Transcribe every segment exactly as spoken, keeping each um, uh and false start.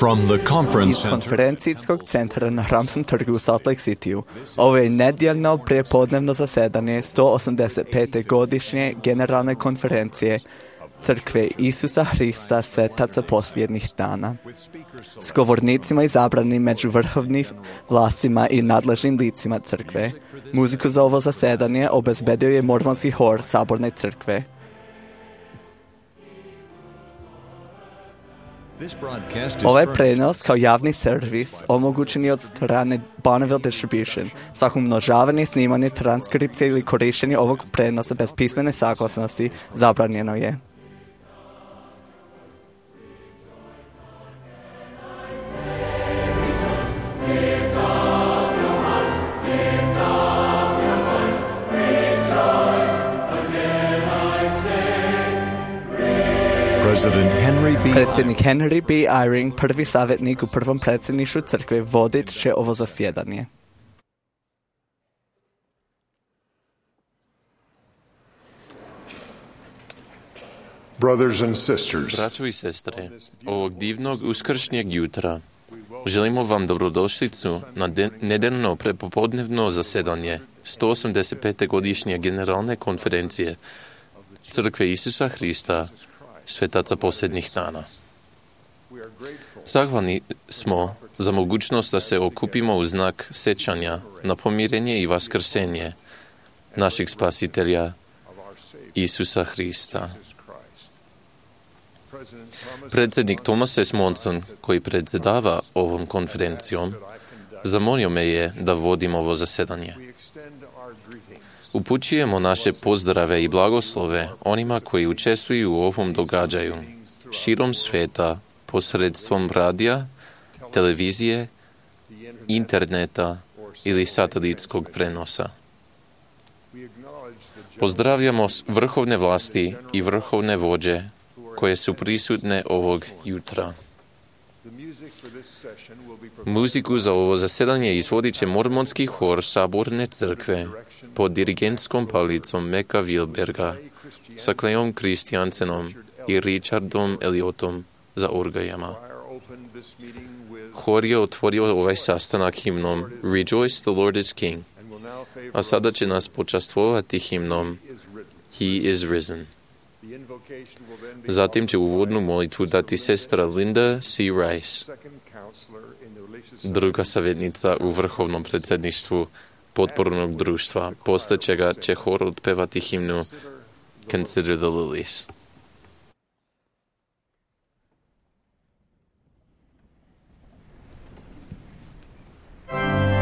From the conference iz konferencijskog centra na Hramskom trgu u Salt Lake Cityu. Ovo je nedjeljno prijepodnevno zasedanje sto osamdeset pete godišnje generalne konferencije Crkve Isusa Hrista svetaca posljednjih dana. S govornicima izabrani među vrhovnim vlastima i nadležnim licima crkve. Muziku za ovo zasedanje obezbedio je mormonski hor Saborne crkve. Ovaj prenos kao javni servis omogućen je od strane Bonneville Distribution. Svako umnožavanje, snimanje, transkripcije ili korištenje ovog prenosa bez pismene saglasnosti zabranjeno je. Predsjednik Henry B. Eyring, prvi savjetnik u prvom predsjedništvu crkve, vodit će ovo zasjedanje. Braćo i sestre, ovog divnog uskršnjeg jutra želimo vam dobrodošlicu na de- nedeljno prepopodnevno zasedanje sto osamdeset pete godišnje generalne konferencije Crkve Isusa Hrista svetaca posljednjih dana. Zahvalni smo za mogućnost da se okupimo u znak sećanja na pomirenje i vaskrsenje našeg spasitelja Isusa Hrista. Predsjednik Thomas S. Monson, koji predsjedava ovom konferencijom, zamolio me je da vodim ovo zasedanje. Upućujemo naše pozdrave i blagoslove onima koji učestvuju u ovom događaju širom svijeta posredstvom radija, televizije, interneta ili satelitskog prenosa. Pozdravljamo vrhovne vlasti i vrhovne vođe koje su prisutne ovog jutra. Muziku za ovo zasedanje izvodit će mormonski hor Saborne crkve pod dirigentskom palicom Meka Wilberga sa Cleom Christiansenom i Richardom Elliotom za orgajama. Hor je otvorio ovaj sastanak himnom Rejoice, the Lord is King, a sada će nas počastvovati himnom He is risen. Zatim će uvodnu molitvu dati sestra Linda C. Rice, druga savjetnica u vrhovnom predsjedništvu potpornog društva. Posle čega će hor otpevati himnu Consider the Lilies. Three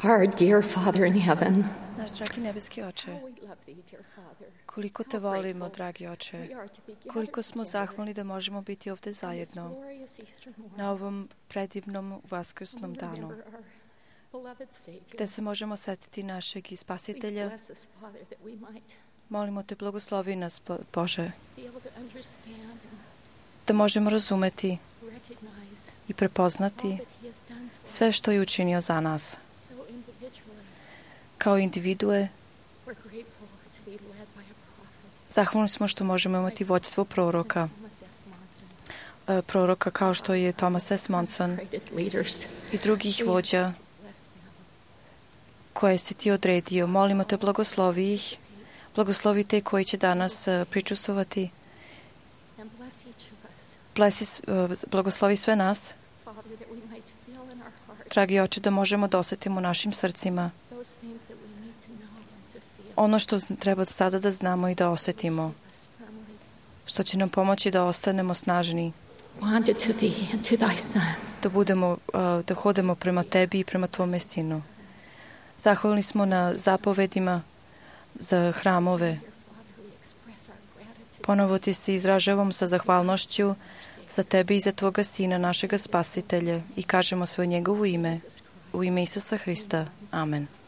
Our dear Father in heaven, Naš dragi nebeski oče, we love thee, dear Father. koliko te volimo, dragi oče, koliko smo zahvalni da možemo biti ovde zajedno Glorious Easter morning. na ovom predivnom vaskrsnom danu, Remember our beloved Savior. gde se možemo setiti našeg i Please spasitelja. bless us, Father, that we might Molimo te, blagoslovi nas, Bo- Bože, be able to understand and da možemo razumeti recognize i all prepoznati that he has done for sve us. što je učinio za nas. So individually, Kao individue, we're grateful to be led by a prophet. zahvalni smo što možemo imati vođstvo proroka, Thomas S. Monson, e, proroka kao što je Thomas S. Monson created leaders. i drugih vođa Bless them. koje si ti odredio. Molimo te, blagoslovi ih, blagoslovi te koji će danas e, pričustovati. And bless each of us, Blesi, e, blagoslovi sve nas, Father, that we might feel in our hearts dragi oče, da možemo da osetimo u našim srcima those things that we need to know and to feel. ono što treba sada da znamo i da osetimo, Us firmly što će nam pomoći da ostanemo snažni, bonded to thee and to thy Son. da budemo, e, da hodemo prema tebi i prema tvome sinu. Zahvalni smo na zapovedima za hramove. Dear Father, we express our gratitude. Ponovo ti se izražavam sa zahvalnošću za tebe i za tvoga sina, našega spasitelja, i kažemo sve u njegovo ime, u ime Isusa Hrista. Amen. Thank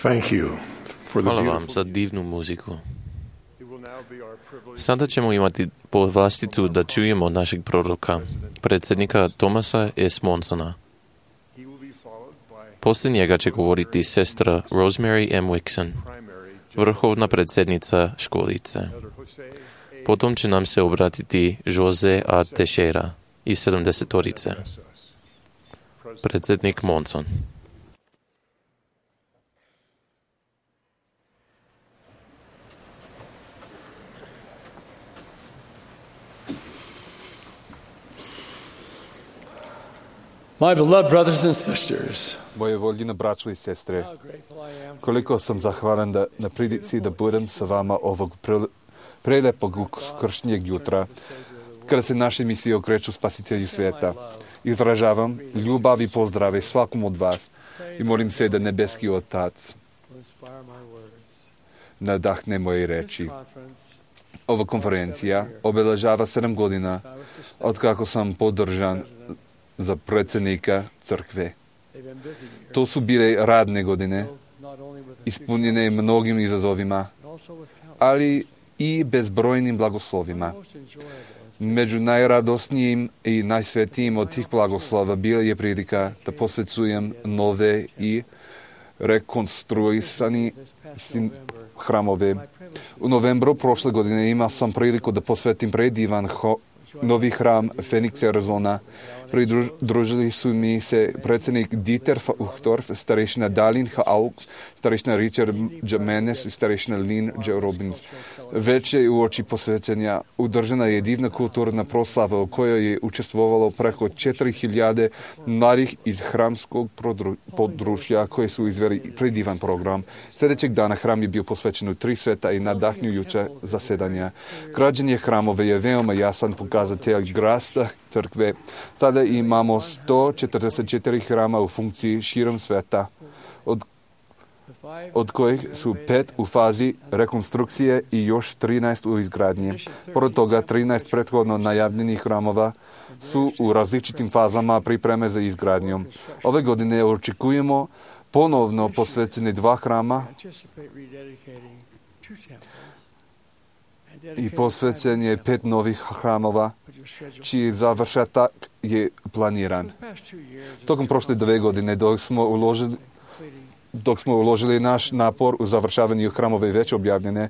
Thank you for the Hvala vam beautiful. za divnu muziku. It will now be our privilege Sada ćemo imati povlasticu da čujemo našeg proroka, predsjednika Thomasa S. Monsona. He will be followed by Poslije njega će govoriti sestra Rosemary M. Wixon, primary vrhovna predsjednica školice. Elder Jose A. Potom će nam se obratiti Jose A. Teixeira iz sedamdesetorice, Us. President predsjednik Monson. My beloved brothers and sisters, Moje voljene braćo i sestre, how grateful I am to koliko sam zahvalan da, na prilici da budem sa vama ovog pre, prelepog uskršnjeg jutra, kada se naše misije okreću spasitelju sveta. Izražavam ljubav i pozdrave svakom od vas i molim se da nebeski Otac inspire my words. nadahne moje reči. Conference, Ova konferencija obeležava sedam godina I was to stay. od kako sam podržan za predsjednika crkve. They've been busy years, To su bile radne godine, both not only with the ispunjene mnogim izazovima, but also with countless. ali i bezbrojnim blagoslovima. Most enjoyable is Među najradosnijim i najsvetijim od tih blagoslova bila je prilika da posvecujem nove i rekonstruisani this past sin- November. hramove. My privilege U novembru prošle godine imao sam priliku da posvetim predivan ho- novi hram Phoenix, Arizona. Pridružili su mi se predsjednik Dieter Uchtdorf, starešina Dalin H. Auks, starešina Richard J. Menes i starešina Lynn J. Robbins. Već je u oči posvećenja udržana je divna kulturna proslava u kojoj je učestvovalo preko četiri hiljade mladih iz hramskog prodru- područja koji su izveli predivan program. Sljedećeg dana hram je bio posvećen u tri sveta i nadahnjujuća zasedanja. Građenje hramove je veoma jasan pokazatelj rasta crkve. Sada imamo sto četrdeset četiri hrama u funkciji širom sveta, od, the five od kojih su pet u fazi rekonstrukcije i još trinaest u izgradnji. Pored toga, trinaest prethodno najavljenih hramova su u različitim fazama pripreme za izgradnjom. Ove godine očekujemo ponovno posvećene dva hrama anticipate rededicating two temples and i dedicating posvećen je five pet novih hramova, but your schedule. čiji završetak je planiran. For the past two years, Tokom prošle dve godine, dok smo uložili completing dok smo uložili naš napor u završavanju hramove već objavljene,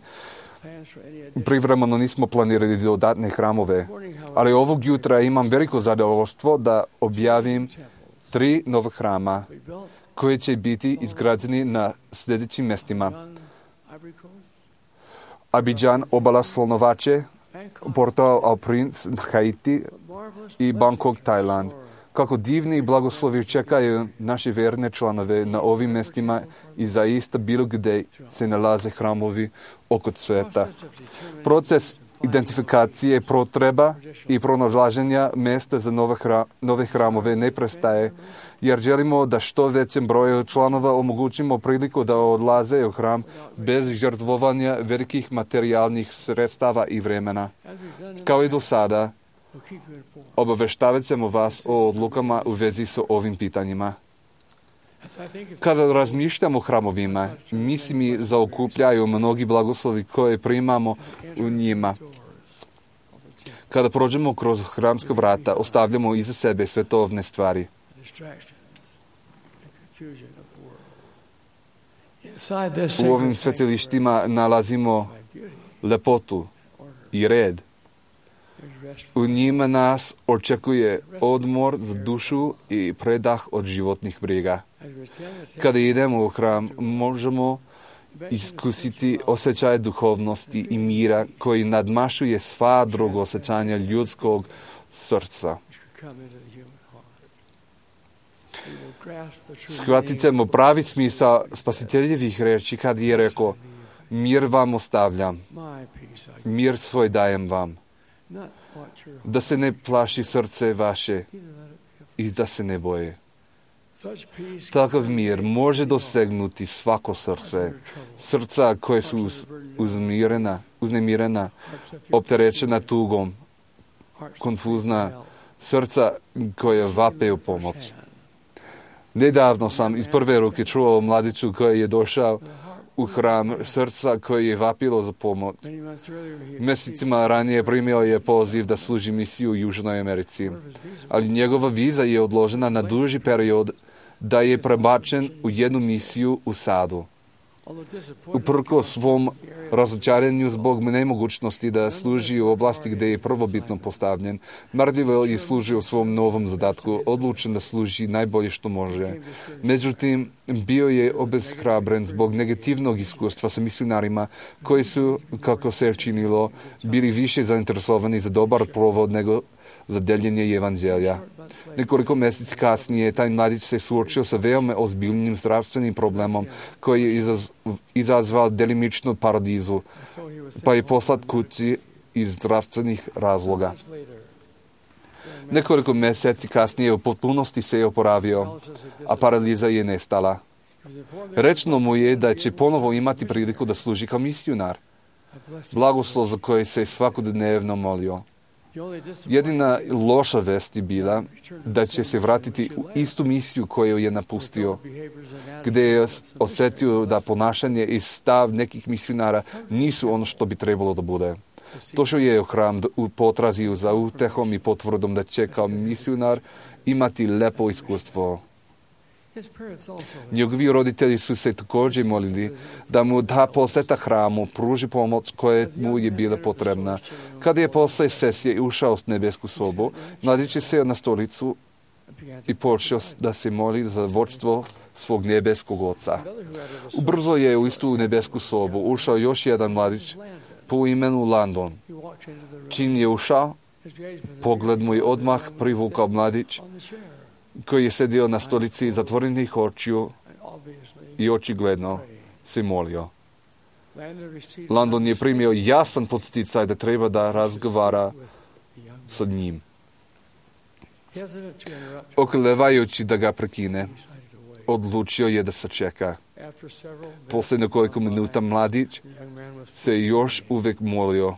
plans for any additional. privremeno nismo planirali dodatne hramove. Morning, however, Ali ovog jutra imam veliko zadovoljstvo da objavim temples tri nova hrama we built koji će biti izgrađeni na sljedećim mestima. on Ivory Coast, Abidjan, obala Slonovače, Bangkok, Porto au Prince, Haiti marvelous i Bangkok, blessings Tajland. in store. Kako divni i blagoslovi čekaju naše verne članove na ovim mestima i zaista bilo gdje se nalaze hramovi oko sveta. Process of determining Proces identifikacije potreba i pronalaženja mesta za nove, hra, nove hramove ne prestaje, jer želimo da što većem broju članova omogućimo priliku da odlaze u hram bez žrtvovanja velikih materijalnih sredstava i vremena. as we've done in Kao i the do past, sada, we'll keep you informed. obaveštavat ćemo vas o odlukama u vezi s ovim pitanjima. As I think of Kada razmišljamo o hramovima, misli mi zaokupljaju mnogi blagoslovi koje primamo u njima. doors of the temple, Kada prođemo kroz hramska vrata, ostavljamo iza sebe svetovne stvari. the distractions and confusion of the world. Inside this U ovim sacred svetilištima nalazimo sanctuary, beauty, lepotu order, i red. there's rest U njima nas očekuje odmor za dušu i predah od životnih briga. as we attend the temple. Kada idemo u hram, možemo iskusiti osjećaj duhovnosti i mira koji nadmašuje sva druga osjećanja ljudskog srca. Come into the human heart. We will grasp the true Shvatit meaning ćemo pravi smisao spasiteljevih reči kad je rekao: mir vam ostavljam, my peace I give, mir svoj dajem vam, not what your da se ne plaši srce vaše either let it be. i da se ne boje. Such peace Takav mir može dosegnuti svako srce, srca koje su uz, uzmirena, uznemirena, opterećena tugom, konfuzna, srca koje vape u pomoć. Nedavno sam iz prve ruke čuo o mladiću koji je došao u hram srca koji je vapilo za pomoć. Mjesecima ranije primio je poziv da služi misiju u Južnoj Americi, ali njegova viza je odložena na duži period da je prebačen u jednu misiju u Sadu. Uprkos svom razočaranju zbog nemogućnosti da služi u oblasti gdje je prvobitno postavljen, marljivo je služio u svom novom zadatku, odlučen da služi najbolje što može. Međutim, bio je obeshrabren zbog negativnog iskustva sa misionarima koji su, kako se činilo, bili više zainteresovani za dobar provod nego za deljenje evanđelja. Nekoliko mjeseci kasnije taj mladić se suočio sa veoma ozbiljnim zdravstvenim problemom koji je izaz, izazval delimičnu paralizu, pa je poslat kući iz zdravstvenih razloga. Nekoliko mjeseci kasnije u potpunosti se je oporavio, a paraliza je nestala. Rečeno mu je da će ponovo imati priliku da služi kao misionar, blagoslov za koji se svakodnevno molio. Jedina loša vest je bila da će se vratiti u istu misiju koju je napustio, gdje je osjetio da ponašanje i stav nekih misionara nisu ono što bi trebalo da bude. Došao je u hram u potrazi za utehom i potvrdom da će kao misionar imati lepo iskustvo. Njegovi roditelji su se također molili da mu da poseta hramu pruži pomoć koja mu je bila potrebna. Kada je posle sesije ušao s nebesku sobu, mladić je seo na stolicu i počeo da se moli za vođstvo svog nebeskog oca. Ubrzo je u istu nebesku sobu ušao još jedan mladić po imenu Landon. Čim je ušao, pogled mu je odmah privukao mladić koji je sedio na stolici zatvorenih očiju i očigledno se molio. Landon je primio jasan podsticaj da treba da razgovara sa njim. Oklevajući da ga prekine, odlučio je da sačeka. Posle nekoliko minuta mladić se još uvek molio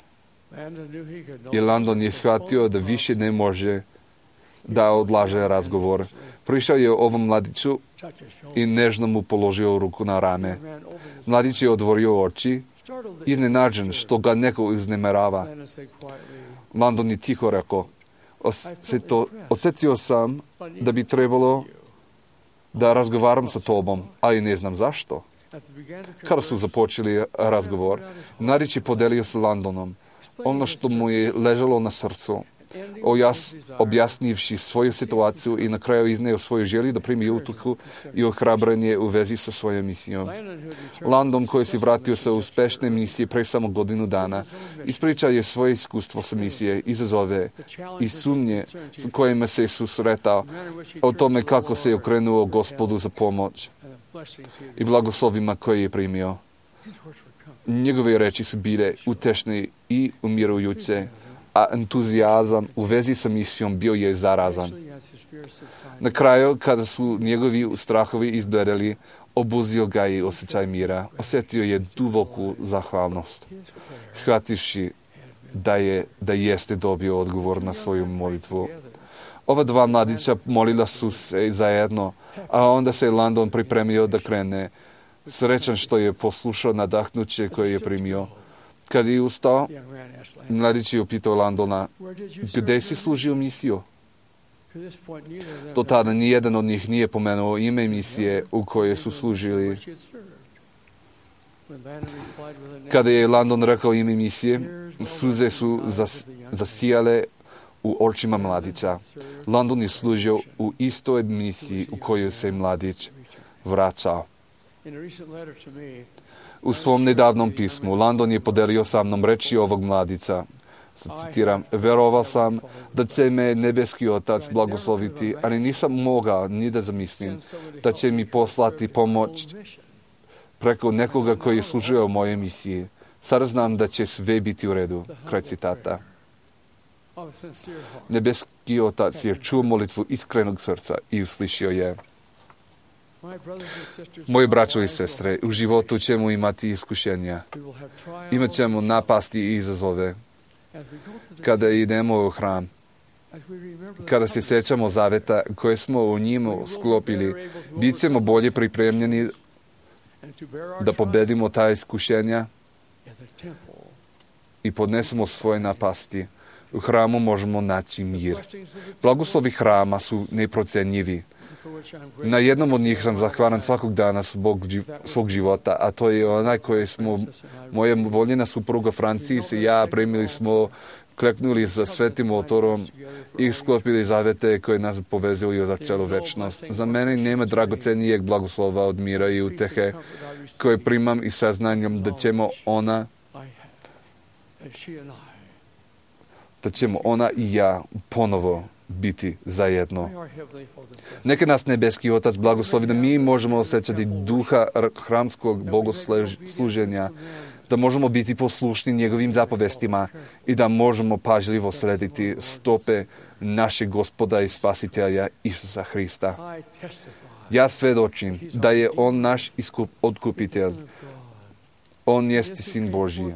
i Landon je shvatio da više ne može da odlaže razgovor. Prišao je ovom mladiću i nežno mu položio ruku na rame. Mladić je otvorio oči, iznenađen što ga neko uznemirava. Landon je tiho rekao, Osjeto, osjetio sam da bi trebalo da razgovaram sa tobom, ali ne znam zašto. Kada su započeli razgovor, mladić je podelio s Landonom ono što mu je ležalo na srcu, Ojas, objasnivši svoju situaciju i na kraju izneo svoju želju da primi utuhu i ohrabrenje u vezi sa svojom misijom. Landon, koji se vratio sa uspešne misije pre samo godinu dana, ispričao je svoje iskustvo sa misije, izazove i sumnje s kojima se susretao, o tome kako se je okrenuo Gospodu za pomoć i blagoslovima koje je primio. Njegove reči su bile utešne i umirujuće, a entuzijazam u vezi sa misijom bio je zarazan. Na kraju, kada su njegovi strahovi izbledeli, obuzio ga i osjećaj mira. Osjetio je duboku zahvalnost, shvativši da je da jeste dobio odgovor na svoju molitvu. Ova dva mladića molila su se zajedno, a onda se Landon pripremio da krene, srećan što je poslušao nadahnuće koje je primio. Kad je ustao, mladić je upitao Landona, gdje si služio misiju? Do tada nijedan od njih nije pomenuo ime misije u kojoj su služili. Kada je Landon rekao ime misije, suze su zas, zasijale u očima mladića. Landon je služio u istoj misiji u kojoj se mladić vraćao. U svom nedavnom pismu Landon je podelio sa mnom reči ovog mladića. Citiram, verovao sam da će me nebeski otac blagosloviti, ali nisam mogao ni da zamislim da će mi poslati pomoć preko nekoga koji je služio u mojoj misiji. Sada znam da će sve biti u redu. Kraj citata. Nebeski otac je čuo molitvu iskrenog srca i uslišio je. Moji braćo i sestre, u životu ćemo imati iskušenja. Imat ćemo napasti i izazove. Kada idemo u hram, Kada se sjećamo zaveta koje smo u njemu sklopili, bit ćemo bolje pripremljeni da pobedimo ta iskušenja i podnesemo svoje napasti. U hramu možemo naći mir. Blagoslovi hrama su neprocenjivi. Na jednom od njih sam zahvalan svakog dana zbog svog života, a to je onaj koji smo, moja voljena supruga Francis i ja primili smo, kleknuli za svetim motorom i sklopili zavete koje nas povezuju za celu večnost. Za mene nema dragocenijeg blagoslova od mira i utehe koje primam i saznanjem da ćemo ona da ćemo ona i ja ponovo biti zajedno. Neka nas nebeski Otac blagoslovi da mi možemo osjećati duha hramskog bogosluženja, da možemo biti poslušni njegovim zapovestima i da možemo pažljivo slediti stope našeg Gospoda i Spasitelja Isusa Hrista. Ja svedočim da je On naš iskup, otkupitelj. On jeste Sin Božji.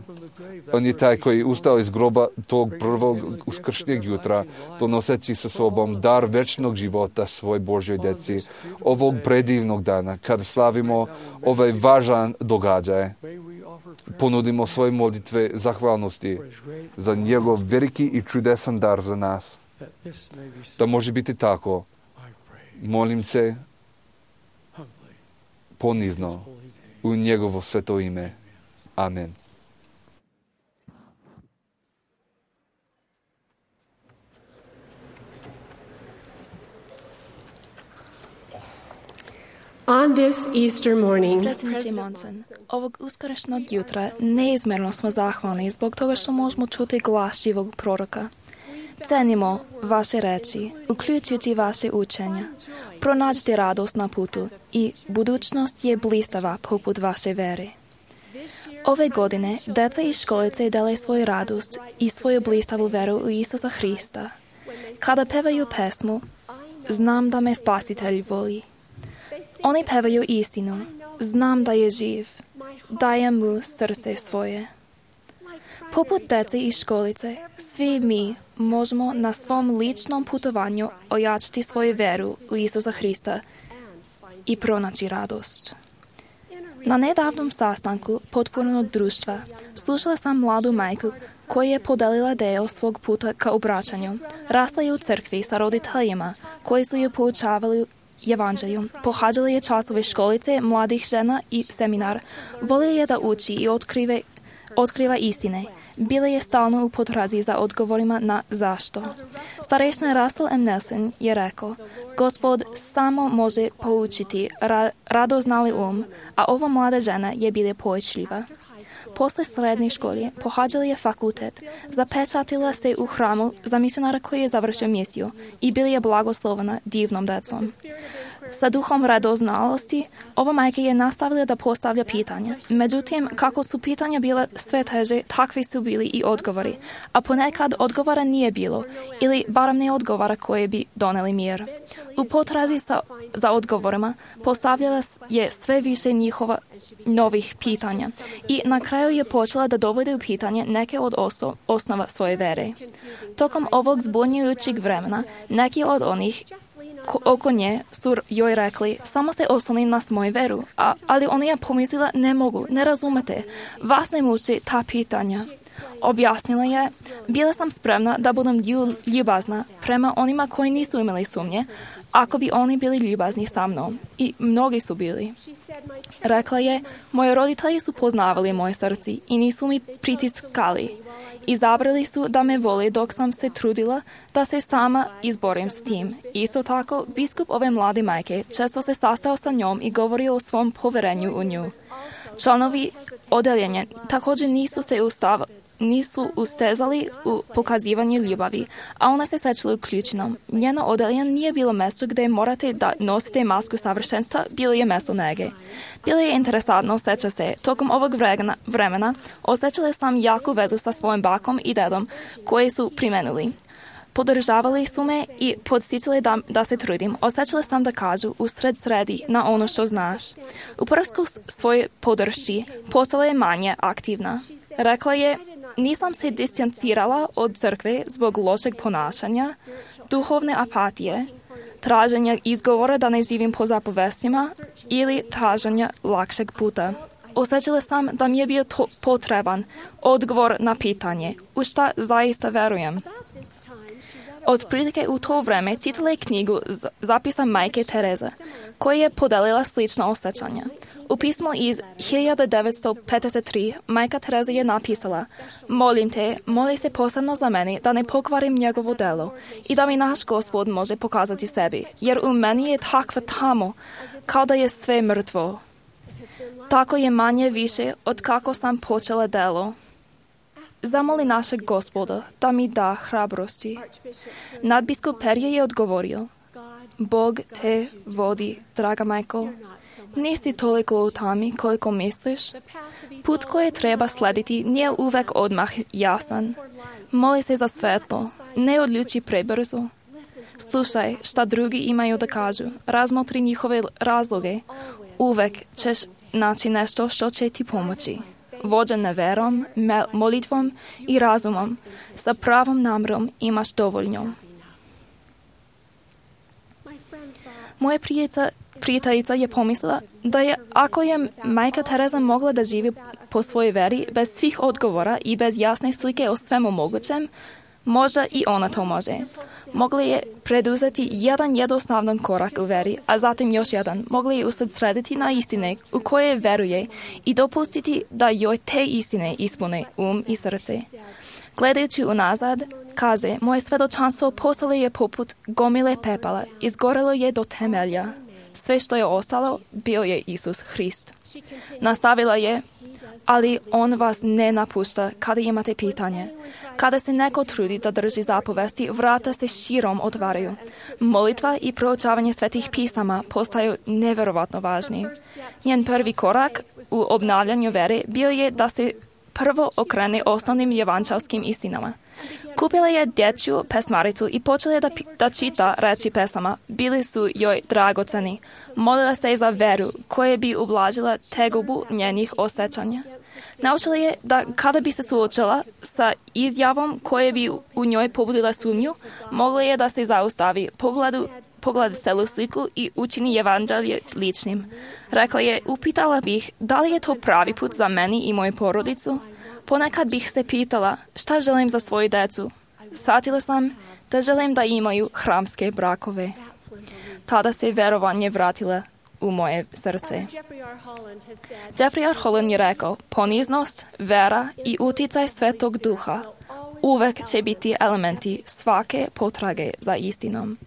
On je taj koji je ustao iz groba tog prvog uskršnjeg jutra, donoseći sa sobom dar večnog života svoj Božjoj deci, ovog predivnog dana, kad slavimo ovaj važan događaj. Ponudimo svoje molitve zahvalnosti za njegov veliki i čudesan dar za nas. Da može biti tako, molim se ponizno u njegovo sveto ime. Amen. On this Easter morning, Predsjedniče Monson, ovog uskrsnog jutra neizmjerno smo zahvalni zbog toga što možemo čuti glas živog proroka. Cenimo vaše reči, uključujući vaše učenja. Pronađite radost na putu i budućnost je blistava poput vaše vere. Ove godine deca iz školice dele svoju radost i svoju blistavu veru u Isusa Hrista. Kada pevaju pesmu, znam da me Spasitelj voli. Oni pevaju istinu, znam da je živ, dajem mu srce svoje. Poput dece iz školice, svi mi možemo na svom ličnom putovanju ojačati svoju veru u Isusa Hrista i pronaći radost. Na nedavnom sastanku potpornog društva slušala sam mladu majku koja je podelila deo svog puta ka obraćanju. Rasla je u crkvi sa roditeljima koji su je poučavali evanđelju. Pohađala je časove školice mladih žena i seminar. Volila je da uči i otkrive, otkriva istine. Bila je stalno u potrazi za odgovorima na zašto. Starešna Russell M. Nelson je rekao, Gospod samo može poučiti ra- radoznali um, a ova mlada žena je bila poučljiva. Posle srednje škole pohađala je fakultet, zapečatila se u hramu za misionara koji je završio misiju i bila je blagoslovena divnom decom. Sa duhom radoznalosti, ova majka je nastavila da postavlja pitanja. Međutim, kako su pitanja bila sve teže, takvi su bili i odgovori, a ponekad odgovora nije bilo, ili barem ne odgovora koje bi doneli mir. U potrazi sa, za odgovorima postavljala je sve više njihova novih pitanja i na kraju je počela da dovode u pitanje neke od oso, osnova svoje vere. Tokom ovog zbunjujućeg vremena, neki od onih Ko, oko nje su joj rekli, samo se osloni na svoju veru, a, ali ona je pomislila, ne mogu, ne razumete, vas ne muči ta pitanja. Objasnila je, bila sam spremna da budem ljubazna prema onima koji nisu imali sumnje, ako bi oni bili ljubazni sa mnom. I mnogi su bili. Rekla je, moji roditelji su poznavali moje srce i nisu mi pritiskali. Izabrali su da me vole dok sam se trudila da se sama izborim s tim. Isto tako, biskup ove mlade majke često se sastao sa njom i govorio o svom poverenju u nju. Članovi odeljenja također nisu se ustavili nisu ustezali u pokazivanju ljubavi, a ona se sjećala uključena. Njeno odeljenje nije bilo mjesto gdje morate da nosite masku savršenstva, bilo je mjesto nege. Bilo je interesantno sjeća se. Tokom ovog vremena, vremena osjećala sam jaku vezu sa svojim bakom i dedom koji su primenuli. Podržavali su me i podsticali da, da se trudim. Osjećala sam da kažu, usred sredi na ono što znaš. U prvsku svojoj podršci postala je manje aktivna. Rekla je, nisam se distancirala od crkve zbog lošeg ponašanja, duhovne apatije, traženja izgovora da ne živim po zapovestima ili traženja lakšeg puta. Osjećala sam da mi je bio to potreban odgovor na pitanje u šta zaista verujem. Otprilike u to vreme čitala je knjigu Zapisa majke Tereze, koja je podelila slična osjećanja. U pismu iz hiljadu devetsto pedeset tri majka Tereza je napisala: "Molim te, moli se posebno za mene da ne pokvarim njegovo delo i da mi naš Gospod može pokazati sebi, jer u meni je takva tamo, kao da je sve mrtvo. Tako je manje više od kako sam počela delo. Zamoli našeg Gospoda da mi da hrabrosti." Nadbiskup Perje je odgovorio: "Bog te vodi, draga majko. Nisi toliko u tami koliko misliš. Put koji treba slediti nije uvek odmah jasan. Moli se za svetlo, ne odluči prebrzo. Slušaj šta drugi imaju da kažu, razmotri njihove razloge. Uvek ćeš naći nešto što će ti pomoći. Vođen verom, molitvom i razumom, sa pravom namrom imaš dovoljno." Moja prijateljica, prijateljica je pomislila da je, ako je majka Tereza mogla da živi po svojoj veri bez svih odgovora i bez jasne slike o svemu mogućem, možda i ona to može. Mogla je preduzeti jedan jednostavan korak u veri, a zatim još jedan. Mogla je usredsrediti na istine u koje veruje i dopustiti da joj te istine ispune um i srce. Gledajući unazad, kaže, moje svedočanstvo postalo je poput gomile pepela, izgorelo je do temelja. Sve što je ostalo bio je Isus Hrist. Nastavila je: "Ali on vas ne napušta kada imate pitanje. Kada se neko trudi da drži zapovesti, vrata se širom otvaraju. Molitva i proučavanje svetih pisama postaju neverovatno važni." Njen prvi korak u obnavljanju vere bio je da se prvo okrene osnovnim evanđelskim istinama. Kupila je dječju pesmaricu i počela je da, da čita reči pesama. Bili su joj dragoceni. Molila se za veru koja bi ublažila tegobu njenih osjećanja. Naučila je da kada bi se suočila sa izjavom koja bi u njoj pobudila sumnju, mogla je da se zaustavi, pogledu, pogleda celu sliku i učini evanđelje ličnim. Rekla je: "Upitala bih da li je to pravi put za meni i moju porodicu. Ponekad bih se pitala šta želim za svoju decu. Shvatila sam da želim da imaju hramske brakove." Tada se verovanje vratila u moje srce. Jeffrey R. Holland je rekao: "Poniznost, vera i uticaj Svetog Duha uvek će biti elementi svake potrage za istinom."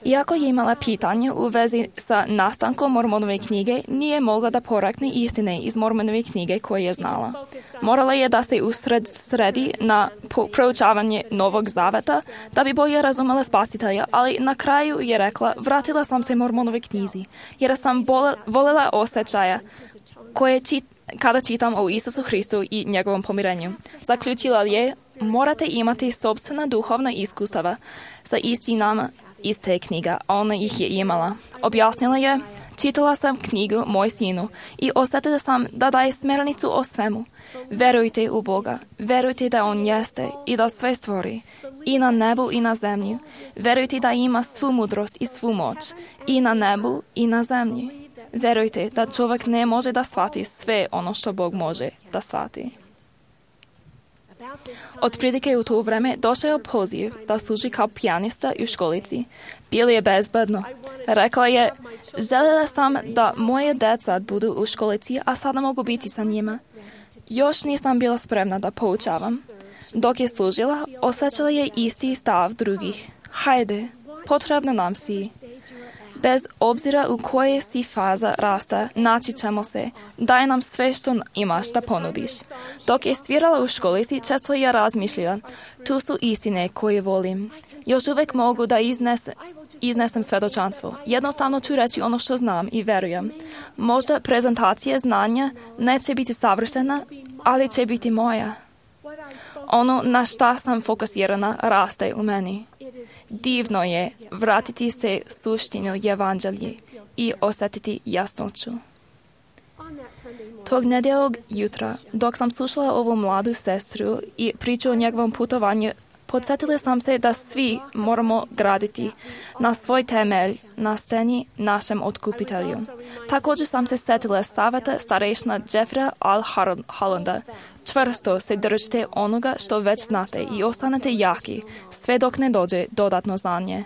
Iako je imala pitanje u vezi sa nastankom Mormonove knjige, nije mogla da porekne istine iz Mormonove knjige koje je znala. Morala je da se usredsredi na proučavanje Novog Zaveta da bi bolje razumela Spasitelja, ali na kraju je rekla: "Vratila sam se Mormonove knjizi, jer sam volela osjećaja koje čit kada čitam o Isusu Hristu i njegovom pomirenju." Zaključila je: "Morate imati sopstvena duhovna iskustava sa istinama iz te knjiga." Ona ih je imala. Objasnila je: "Čitala sam knjigu moj sinu i osjetila sam da daje smernicu o svemu. Verujte u Boga, verujte da On jeste i da sve stvori, i na nebu i na zemlji. Verujte da ima svu mudrost i svu moć, i na nebu i na zemlji. Verujte da čovjek ne može da shvati sve ono što Bog može da shvati." Otprilike u to vreme došao je poziv da služi kao pijanista u školici. Bilo je bezbedno. Rekla je: "Željela sam da moje deca budu u školici, a sada mogu biti sa njima. Još nisam bila spremna da poučavam." Dok je služila, osjećala je isti stav drugih. "Hajde, potrebna nam si. Bez obzira u koje si faza rasta, naći ćemo se. Daj nam sve što imaš da ponudiš." Dok je svirala u školici, često je razmišljala: "Tu su istine koje volim. Još uvijek mogu da iznese, iznesem svedočanstvo. Jednostavno ću reći ono što znam i verujem. Možda prezentacija znanja neće biti savršena, ali će biti moja. Ono na šta sam fokusirana raste u meni." Divno je vratiti se suštinu evanđelje i osjetiti jasnoću. Tog nedjeljog jutra, dok sam slušala ovu mladu sestru i priču o njegovom putovanju, podsjetila sam se da svi moramo graditi na svoj temelj, na steni našem otkupitelju. Također sam se sjetila savjeta starešna Jeffreya Al Hollanda. Čvrsto se držite onoga što već znate i ostanete jaki, sve dok ne dođe dodatno znanje.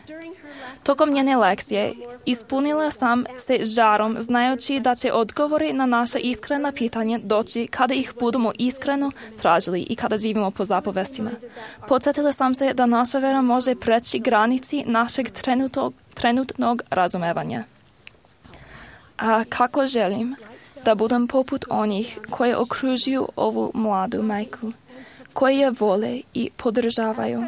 Tokom njene lekcije ispunila sam se žarom znajući da će odgovori na naša iskrena pitanja doći kada ih budemo iskreno tražili i kada živimo po zapovestima. Podsjetila sam se da naša vera može preći granici našeg trenutnog, trenutnog razumevanja. A kako želim da budem poput onih koji okružuju ovu mladu majku, koji je vole i podržavaju.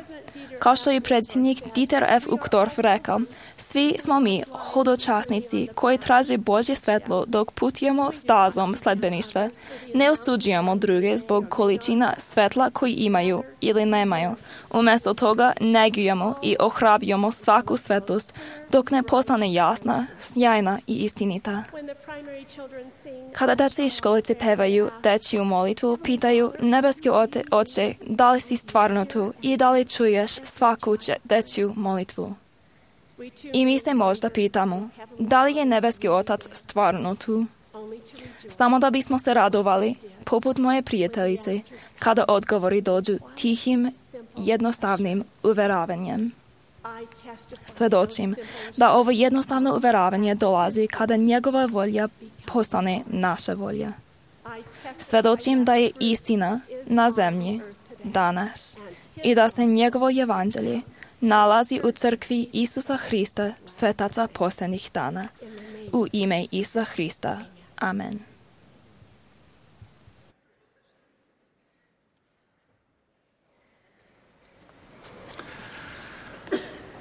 Kao što je predsjednik Dieter F. Uchtdorf rekao, svi smo mi hodočasnici koji traže Božje svetlo dok putujemo stazom sledbeništva. Ne osuđujemo druge zbog količina svetla koji imaju ili nemaju. Umjesto toga negujemo i ohrabrujemo svaku svetlost dok ne postane jasna, sjajna i istinita. Kada djeca iz školice pevaju dečju molitvu, pitaju nebeski oče, da li si stvarno tu i da li čuješ svaku dečju molitvu. I mi se možda pitamo, da li je nebeski otac stvarno tu? Samo da bismo se radovali, poput moje prijateljice, kada odgovori dođu tihim, jednostavnim uveravanjem. Svedočim da ovo jednostavno uveravanje dolazi kada njegova volja postane naša volja. Svedočim da je istina na zemlji danas i da se njegovo evanđelje nalazi u crkvi Isusa Hrista, svetaca posljednjih dana. U ime Isusa Hrista. Amen.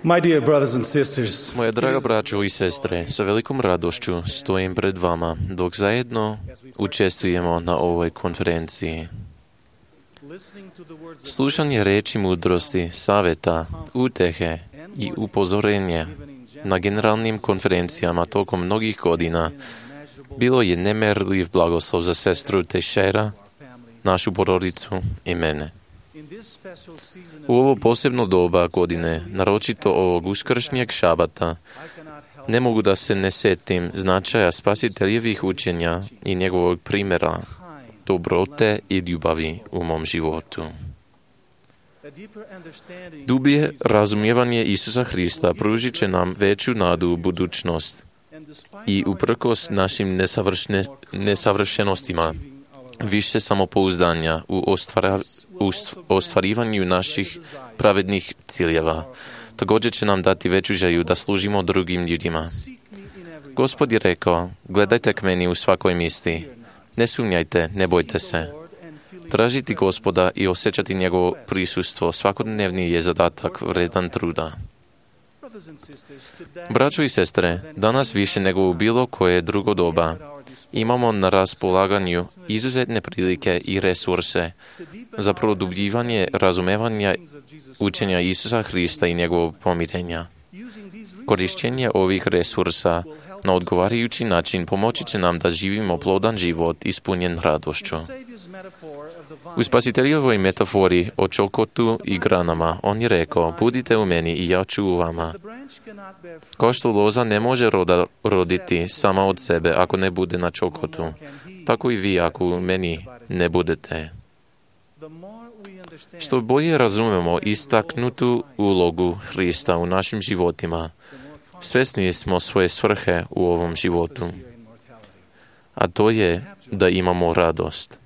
My dear brothers and sisters, Moja draga braćo i sestre, sa velikom radošću stojim pred vama dok zajedno učestvujemo na ovoj konferenciji. Slušanje reči mudrosti, savjeta, utehe i upozorenje na generalnim konferencijama tokom mnogih godina bilo je nemerljiv blagoslov za sestru Teixeira, našu porodicu i mene. U ovo posebno doba godine, naročito ovog uskršnjeg šabata, ne mogu da se ne setim značaja spasiteljevih učenja i njegovog primjera dobrote i ljubavi u mom životu. Dublje razumijevanje Isusa Hrista pružit će nam veću nadu u budućnost i uprkos našim nesavršne, nesavršenostima više samopouzdanja u ostvara, u ostvarivanju naših pravednih ciljeva. Također će nam dati veću želju da služimo drugim ljudima. Gospod je rekao, gledajte k meni u svakoj misli. Ne sumnjajte, ne bojte se. Tražiti Gospoda i osjećati njegovo prisustvo svakodnevni je zadatak vredan truda. Braćo i sestre, danas više nego u bilo koje drugo doba imamo na raspolaganju izuzetne prilike i resurse za produbljivanje razumevanja učenja Isusa Hrista i njegovog pomirenja. Korištenje ovih resursa na odgovarajući način pomoći će nam da živimo plodan život ispunjen radošću. U spasiteljevoj metafori o čokotu i granama on je rekao, budite u meni i ja ću u vama. Kao što loza ne može roda, roditi sama od sebe ako ne bude na čokotu, tako i vi ako u meni ne budete. Što bolje razumemo istaknutu ulogu Hrista u našim životima, svjesni smo svoje svrhe u ovom životu. A to je da imamo radost.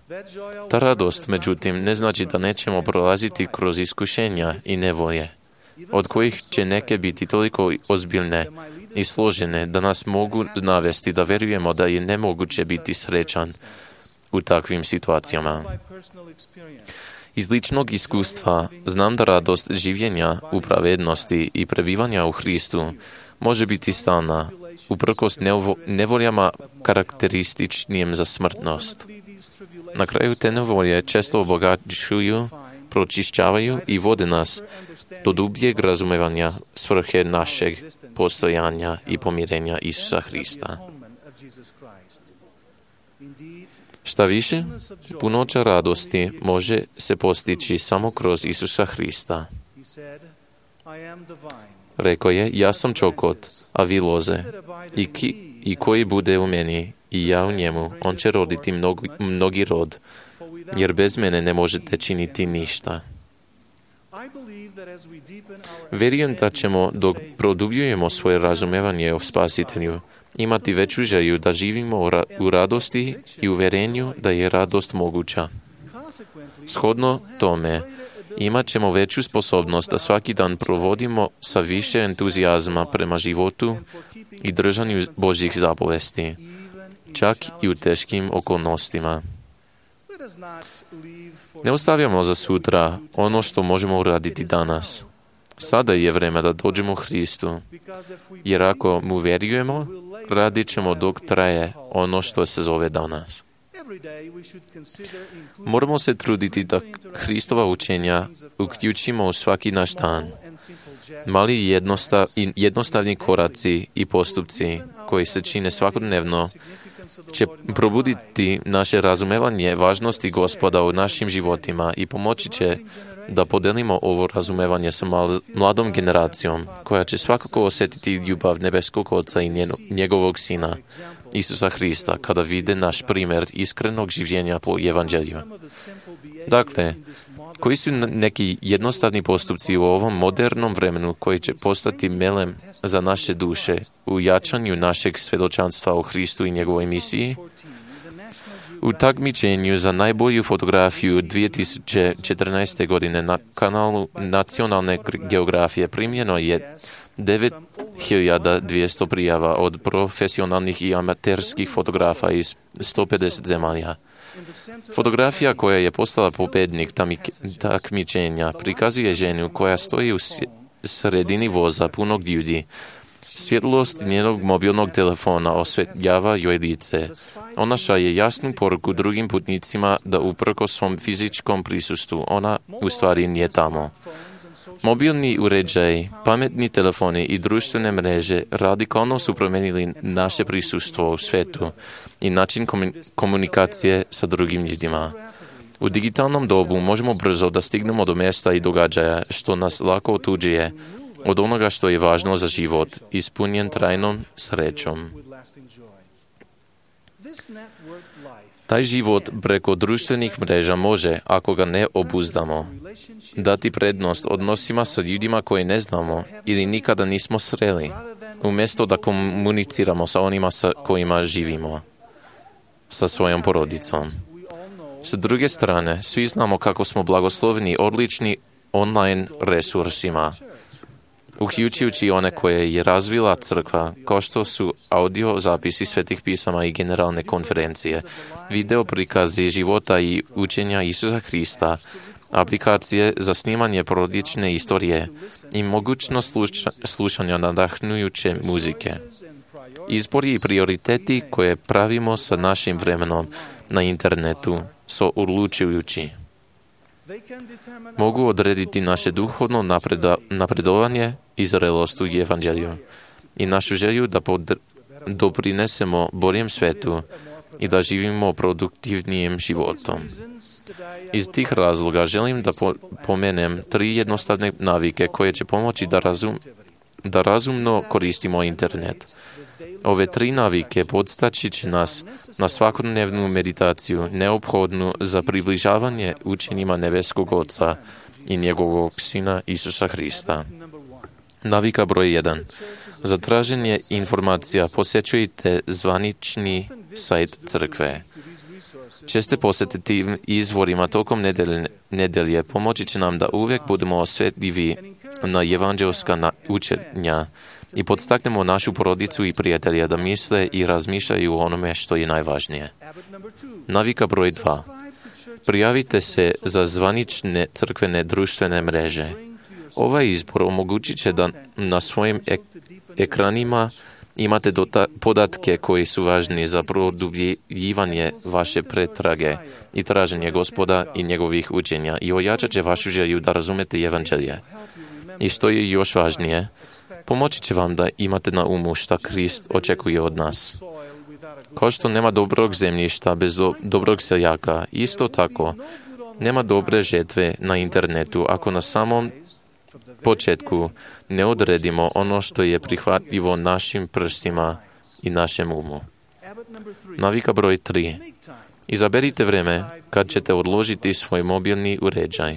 Ta radost, međutim, ne znači da nećemo prolaziti kroz iskušenja i nevolje, od kojih će neke biti toliko ozbiljne i složene da nas mogu navesti da vjerujemo da je nemoguće biti srećan u takvim situacijama. Iz ličnog iskustva znam da radost življenja u pravednosti i prebivanja u Hristu može biti stalna, uprkos nevoljama karakterističnim za smrtnost. Na kraju te nevolje često obogaćuju, pročišćavaju i vode nas do dubljeg razumevanja svrhe našeg postojanja i pomirenja Isusa Hrista. Šta više, punoća radosti može se postići samo kroz Isusa Hrista. Rekao je, ja sam čokot, a vi loze, i, ki, i koji bude u meni, i ja u njemu, on će roditi mnogi, mnogi rod, jer bez mene ne možete činiti ništa. Vjerujem da ćemo, dok produbljujemo svoje razumevanje o Spasitelju, imati veću želju da živimo u, ra- u radosti i uvjerenju da je radost moguća. Shodno tome, imat ćemo veću sposobnost da svaki dan provodimo sa više entuzijazma prema životu i držanju Božjih zapovesti, čak i u teškim okolnostima. Ne ostavljamo za sutra ono što možemo uraditi danas. Sada je vrijeme da dođemo Hristu, jer ako mu vjerujemo, radit ćemo dok traje ono što se zove danas. Moramo se truditi da Hristova učenja uključimo u svaki naš dan. Mali jednostav, jednostavni koraci i postupci koji se čine svakodnevno će probuditi naše razumevanje važnosti Gospoda u našim životima i pomoći će da podelimo ovo razumevanje sa mladom generacijom, koja će svakako osjetiti ljubav nebeskog Oca i njegovog Sina, Isusa Hrista, kada vide naš primjer iskrenog življenja po evanđelju. Dakle, koji su neki jednostavni postupci u ovom modernom vremenu koji će postati melem za naše duše u jačanju našeg svjedočanstva o Hristu i njegovoj misiji? U takmičenju za najbolju fotografiju dvije tisuće četrnaeste. godine na kanalu Nacionalne geografije primljeno je devet hiljada dvjesto prijava od profesionalnih i amaterskih fotografa iz sto pedeset zemalja. Fotografija koja je postala pobjednik takmičenja prikazuje ženu koja stoji u sredini voza punog ljudi. Svjetlost njenog mobilnog telefona osvetljava joj lice. Ona šalje jasnu poruku drugim putnicima da uprkos svom fizičkom prisustvu ona u stvari nije tamo. Mobilni uređaji, pametni telefoni i društvene mreže radikalno su promijenili naše prisustvo u svijetu i način komunikacije sa drugim ljudima. U digitalnom dobu možemo brzo da stignemo do mjesta i događaja što nas lako otuđuje od onoga što je važno za život, ispunjen trajnom srećom. Taj život preko društvenih mreža može, ako ga ne obuzdamo, dati prednost odnosima sa ljudima koje ne znamo ili nikada nismo sreli, umjesto da komuniciramo sa onima sa kojima živimo, sa svojom porodicom. S druge strane, svi znamo kako smo blagosloveni odlični online resursima, uključujući one koje je razvila crkva, kao što su audio zapisi svetih pisama i generalne konferencije, video prikazi života i učenja Isusa Hrista, aplikacije za snimanje porodične istorije i mogućnost sluša, slušanja nadahnujuće muzike. Izbori i prioriteti koje pravimo sa našim vremenom na internetu su odlučujući. Mogu odrediti naše duhovno napreda, napredovanje i zrelost u evanđelju i našu želju da pod, doprinesemo boljem svetu i da živimo produktivnijim životom. Iz tih razloga želim da po, pomenem tri jednostavne navike koje će pomoći da, razum, da razumno koristimo internet. Ove tri navike podstaći će nas na svakodnevnu meditaciju neophodnu za približavanje učenjima nebeskog Oca i njegovog Sina Isusa Hrista. Navika broj jedan. Za traženje informacija posjećujte zvanični sajt crkve. Česte posjetiti izvorima tokom nedelje, nedelje pomoći će nam da uvijek budemo osjetljivi na evanđelska učenja i podstaknemo našu porodicu i prijatelja da misle i razmišljaju o onome što je najvažnije. Navika broj dva. Prijavite se za zvanične crkvene društvene mreže. Ovaj izbor omogućit će da na svojim ek- ekranima imate dota- podatke koji su važni za produbljivanje vaše pretrage i traženje Gospoda i njegovih učenja i ojačat će vašu želju da razumete evanđelje. I što je još važnije, pomoći će vam da imate na umu šta Krist očekuje od nas. Kao što nema dobrog zemljišta bez do, dobrog seljaka, isto tako nema dobre žetve na internetu ako na samom početku ne odredimo ono što je prihvatljivo našim prstima i našem umu. Navika broj tri. Izaberite vreme kad ćete odložiti svoj mobilni uređaj.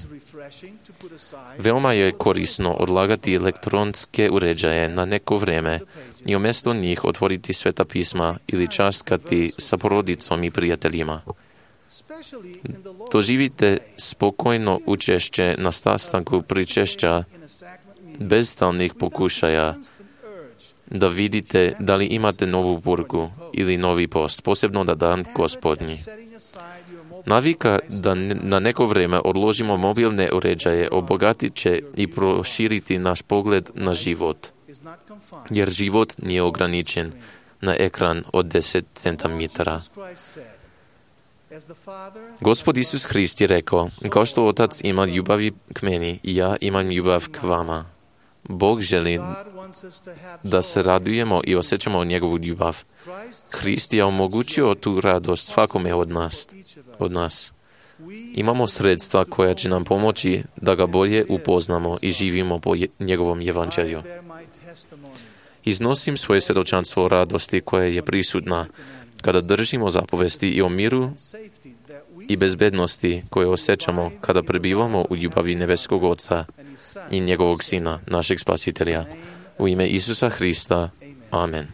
Veoma je korisno odlagati elektronske uređaje na neko vreme i umjesto njih otvoriti Sveta pisma ili časkati sa porodicom i prijateljima. Doživite spokojno učešće na sastanku pričešća bez stalnih pokušaja da vidite da li imate novu poruku ili novi post, posebno na dan Gospodnji. Navika da na neko vrijeme odložimo mobilne uređaje obogatit će i proširiti naš pogled na život, jer život nije ograničen na ekran od deset centimetara. Gospod Isus Hrist je rekao, kao što Otac ima ljubavi k meni, i ja imam ljubav k vama. Bog želi da se radujemo i osjećamo njegovu ljubav. Hrist je omogućio tu radost svakome od nas. Od nas. Imamo sredstva koja će nam pomoći da ga bolje upoznamo i živimo po njegovom evanđelju. Iznosim svoje svjedočanstvo radosti koja je prisutna kada držimo zapovesti i o miru i bezbednosti koje osjećamo kada prebivamo u ljubavi nebeskog Oca i njegovog Sina, našeg Spasitelja. U ime Isusa Hrista. Amen.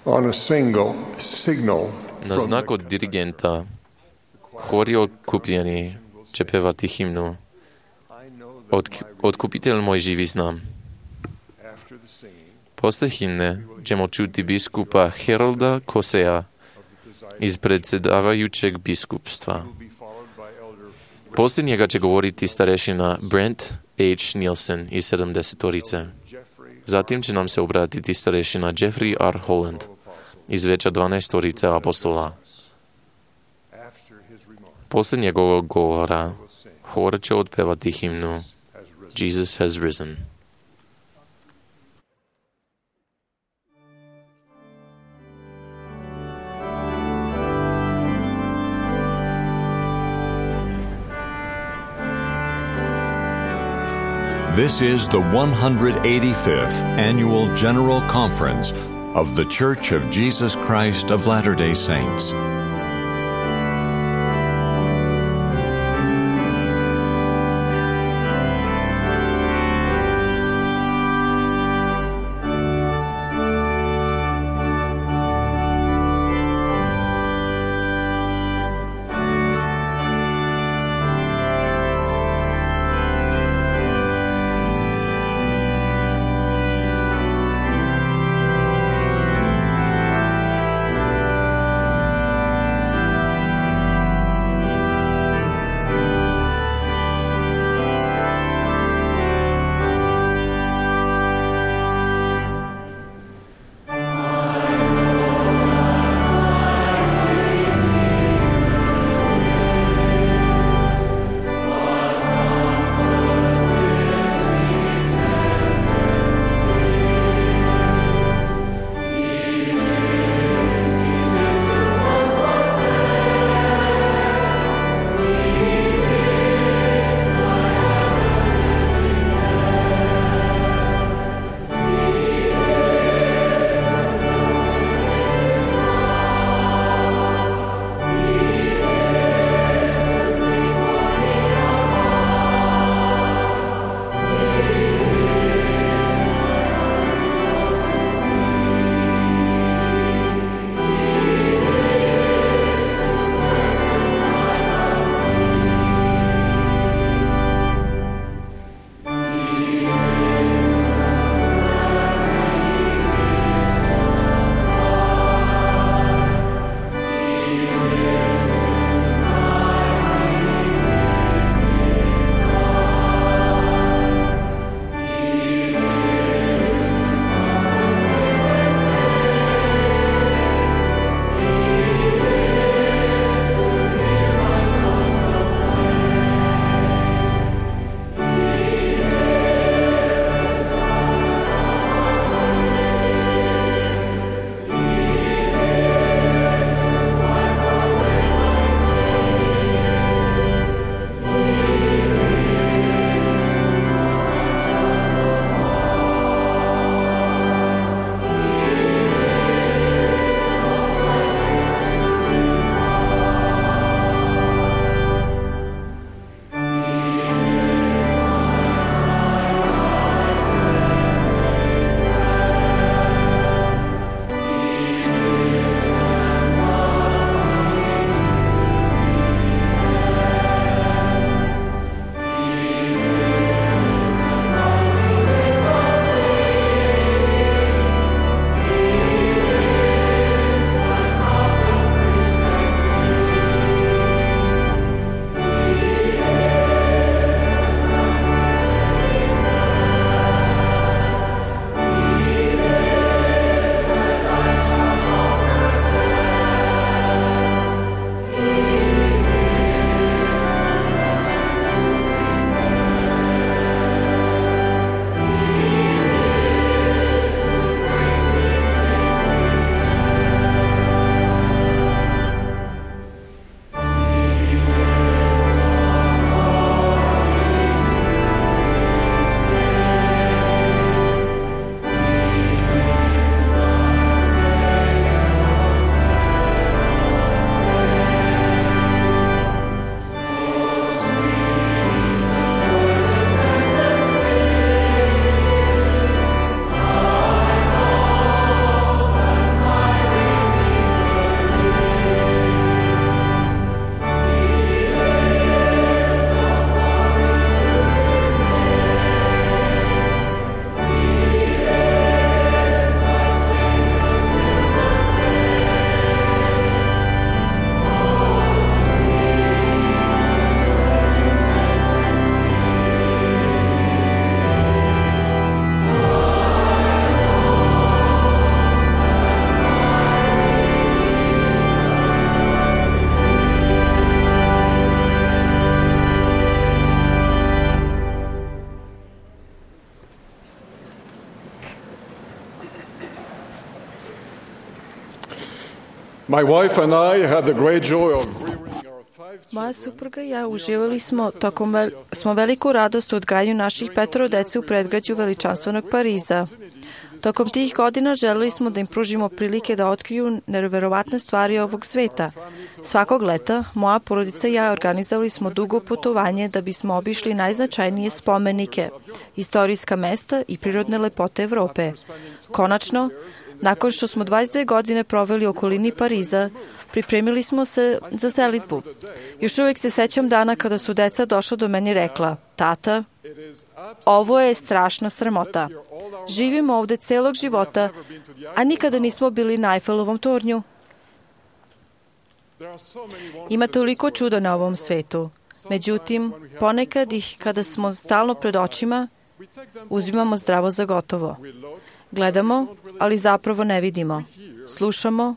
On a single signal Na znak od dirigenta hori okupljeni će pevati himnu Od, Otkupitelj moj živi znam. Posle himne ćemo čuti biskupa Herolda Kosea iz predsjedavajućeg biskupstva. Poslije njega će govoriti starešina Brent H. Nielsen iz sedamdesetorice. Zatim će nam se obratiti starešina Jeffrey R. Holland iz veća dvanaestorice apostola. Poslije njegovog govora hor će otpevati himnu Jesus has risen. This is the one hundred eighty-fifth Annual General Conference of The Church of Jesus Christ of Latter-day Saints. My wife and I had the great joy of rearing our five Moja supruga i ja uživali smo tokom vel, smo veliku radost u odgajanju naših petoro dece u predgrađu veličanstvenog Pariza. Tokom tih godina želeli smo da im pružimo prilike da otkriju neverovatne stvari ovog sveta. Svakog leta moja porodica i ja organizovali smo dugo putovanje da bismo obišli najznačajnije spomenike, istorijska mesta i prirodne lepote Evrope. Konačno, nakon što smo dvadeset dve godine proveli u okolini Pariza, pripremili smo se za selidbu. Još uvijek se sećam dana kada su deca došla do mene i rekla: tata, ovo je strašna sramota. Živimo ovde celog života, a nikada nismo bili na Eiffelovom tornju. Ima toliko čuda na ovom svetu. Međutim, ponekad ih, kada smo stalno pred očima, uzimamo zdravo za gotovo. Gledamo, ali zapravo ne vidimo. Slušamo,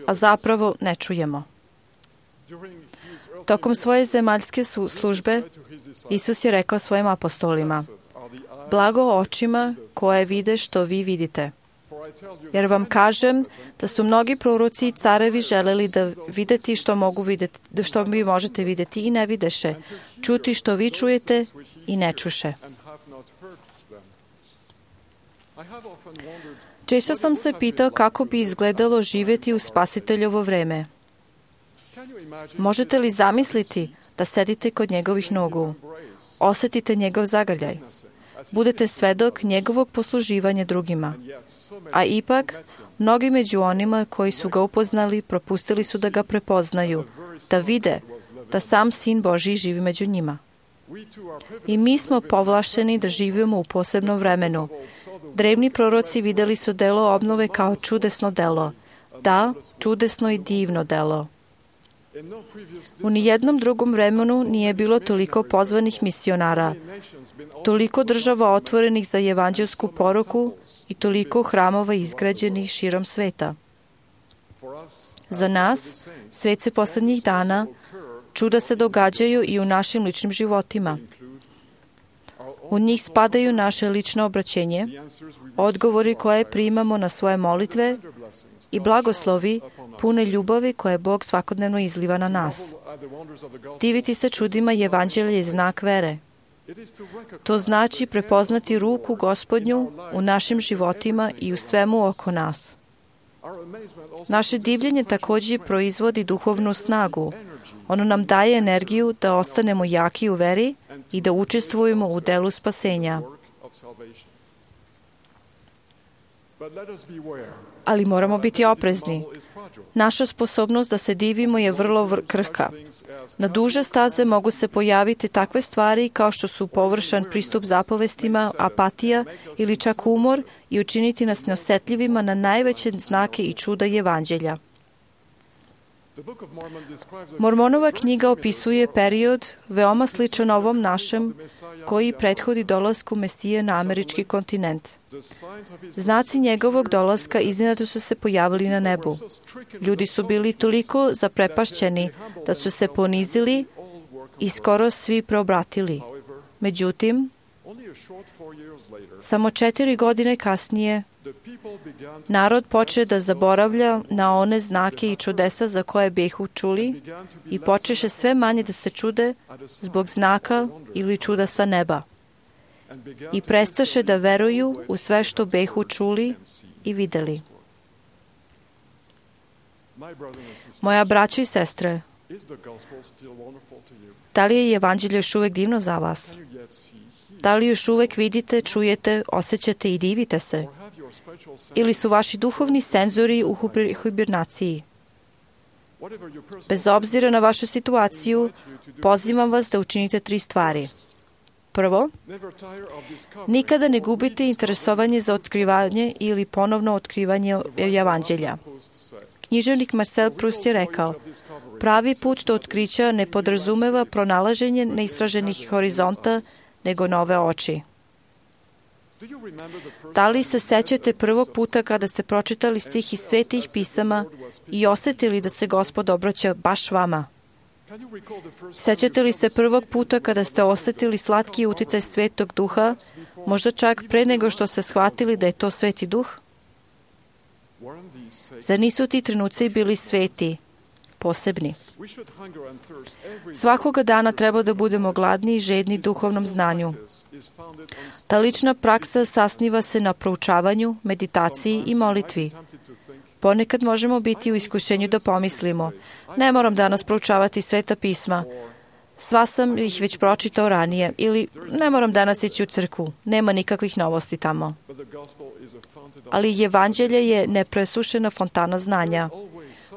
a zapravo ne čujemo. Tokom svoje zemaljske službe, Isus je rekao svojim apostolima: blago očima koje vide što vi vidite. Jer vam kažem da su mnogi proroci i carevi želeli da videti što mogu videti, što vi možete videti i ne videše, čuti što vi čujete i ne čuše. Često sam se pitao kako bi izgledalo živjeti u Spasiteljovo vreme. Možete li zamisliti da sedite kod njegovih nogu, osjetite njegov zagrljaj, budete svedok njegovog posluživanja drugima, a ipak mnogi među onima koji su ga upoznali propustili su da ga prepoznaju, da vide da sam Sin Božji živi među njima. I mi smo povlašteni da živimo u posebnom vremenu. Drevni proroci videli su delo obnove kao čudesno delo. Da, čudesno i divno delo. U nijednom drugom vremenu nije bilo toliko pozvanih misionara, toliko država otvorenih za evanđelsku poruku i toliko hramova izgrađenih širom sveta. Za nas, svet se poslednjih dana, čuda se događaju i u našim ličnim životima. U njih spadaju naše lično obraćenje, odgovori koje primamo na svoje molitve i blagoslovi pune ljubavi koje Bog svakodnevno izliva na nas. Diviti se čudima evanđelja je znak vere. To znači prepoznati ruku Gospodnju u našim životima i u svemu oko nas. Naše divljenje također proizvodi duhovnu snagu. Ono nam daje energiju da ostanemo jaki u veri i da učestvujemo u delu spasenja. Ali moramo biti oprezni. Naša sposobnost da se divimo je vrlo krhka. Na duže staze mogu se pojaviti takve stvari kao što su površan pristup zapovestima, apatija ili čak umor i učiniti nas neosjetljivima na najveće znake i čuda evanđelja. Mormonova knjiga opisuje period veoma sličan ovom našem koji prethodi dolasku Mesije na američki kontinent. Znaci njegovog dolaska iznenada su se pojavili na nebu. Ljudi su bili toliko zaprepašćeni da su se ponizili i skoro svi preobratili. Međutim, samo četiri godine kasnije narod poče da zaboravlja na one znake i čudesa za koje behu čuli i počeše sve manje da se čude zbog znaka ili čuda sa neba. I prestaše da veruju u sve što behu čuli i videli. Moja braćo i sestre, da li je evanđelje još uvek divno za vas? Da li još uvek vidite, čujete, osjećate i divite se? Ili su vaši duhovni senzori u hibernaciji? Bez obzira na vašu situaciju, pozivam vas da učinite tri stvari. Prvo, nikada ne gubite interesovanje za otkrivanje ili ponovno otkrivanje evanđelja. Književnik Marcel Proust je rekao: pravi put do otkrića ne podrazumeva pronalaženje neistraženih horizonta, nego nove oči. Da li se sećate prvog puta kada ste pročitali stih iz svetih pisama i osjetili da se Gospod obraća baš vama? Sećate li se prvog puta kada ste osjetili slatki uticaj Svetog Duha, možda čak pre nego što ste shvatili da je to Sveti Duh? Zar nisu ti trenuci bili sveti, posebni? Svakoga dana treba da budemo gladni i žedni duhovnom znanju. Ta lična praksa sasniva se na proučavanju, meditaciji i molitvi. Ponekad možemo biti u iskušenju da pomislimo, ne moram danas proučavati Sveta pisma, sva sam ih već pročitao ranije, ili ne moram danas ići u crkvu, nema nikakvih novosti tamo. Ali evanđelje je nepresušena fontana znanja.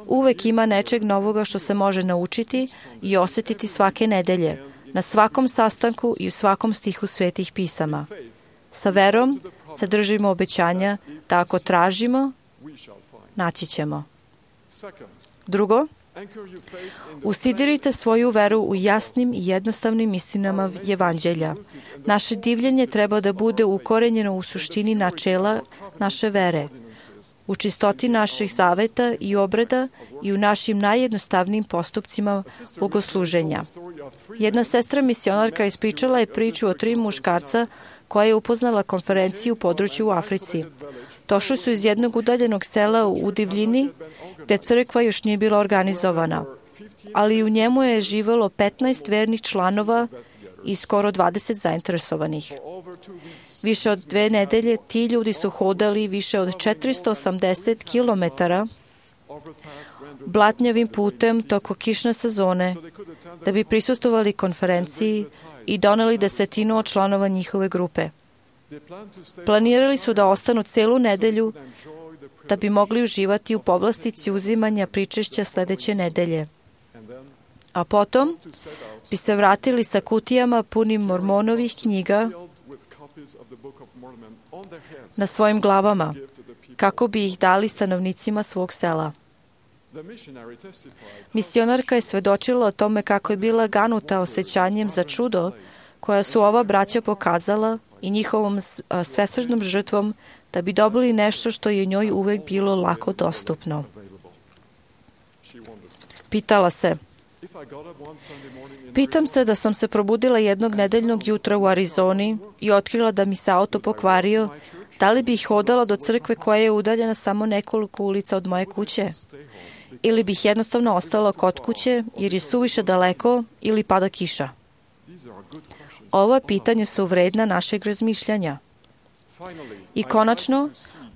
Uvek ima nečeg novoga što se može naučiti i osjetiti svake nedelje, na svakom sastanku i u svakom stihu Svetih pisama. Sa verom se držimo obećanja da ako tražimo, naći ćemo. Drugo, usidirite svoju veru u jasnim i jednostavnim istinama evanđelja. Naše divljenje treba da bude ukorenjeno u suštini načela naše vere, u čistoti naših zaveta i obreda i u našim najjednostavnijim postupcima bogosluženja. Jedna sestra misionarka ispričala je priču o tri muškarca koja je upoznala konferenciju u području u Africi. Došli su iz jednog udaljenog sela u divljini, gde crkva još nije bila organizovana, ali u njemu je živelo petnaest vernih članova i skoro dvadeset zainteresovanih. Više od dve nedelje ti ljudi su hodali više od četiristo osamdeset kilometara blatnjavim putem toko kišne sezone da bi prisustvovali konferenciji i doneli desetinu od članova njihove grupe. Planirali su da ostanu celu nedelju da bi mogli uživati u povlastici uzimanja pričešća sledeće nedelje. A potom bi se vratili sa kutijama punim Mormonovih knjiga na svojim glavama, kako bi ih dali stanovnicima svog sela. Misionarka je svedočila o tome kako je bila ganuta osjećanjem za čudo koja su ova braća pokazala i njihovom svesrdnom žrtvom da bi dobili nešto što je njoj uvek bilo lako dostupno. Pitala se, pitam se da sam se probudila jednog nedeljnog jutra u Arizoni i otkrila da mi se auto pokvario, da li bih hodala do crkve koja je udaljena samo nekoliko ulica od moje kuće? Ili bih jednostavno ostala kod kuće jer je suviše daleko ili pada kiša? Ova pitanja su vredna našeg razmišljanja. I konačno,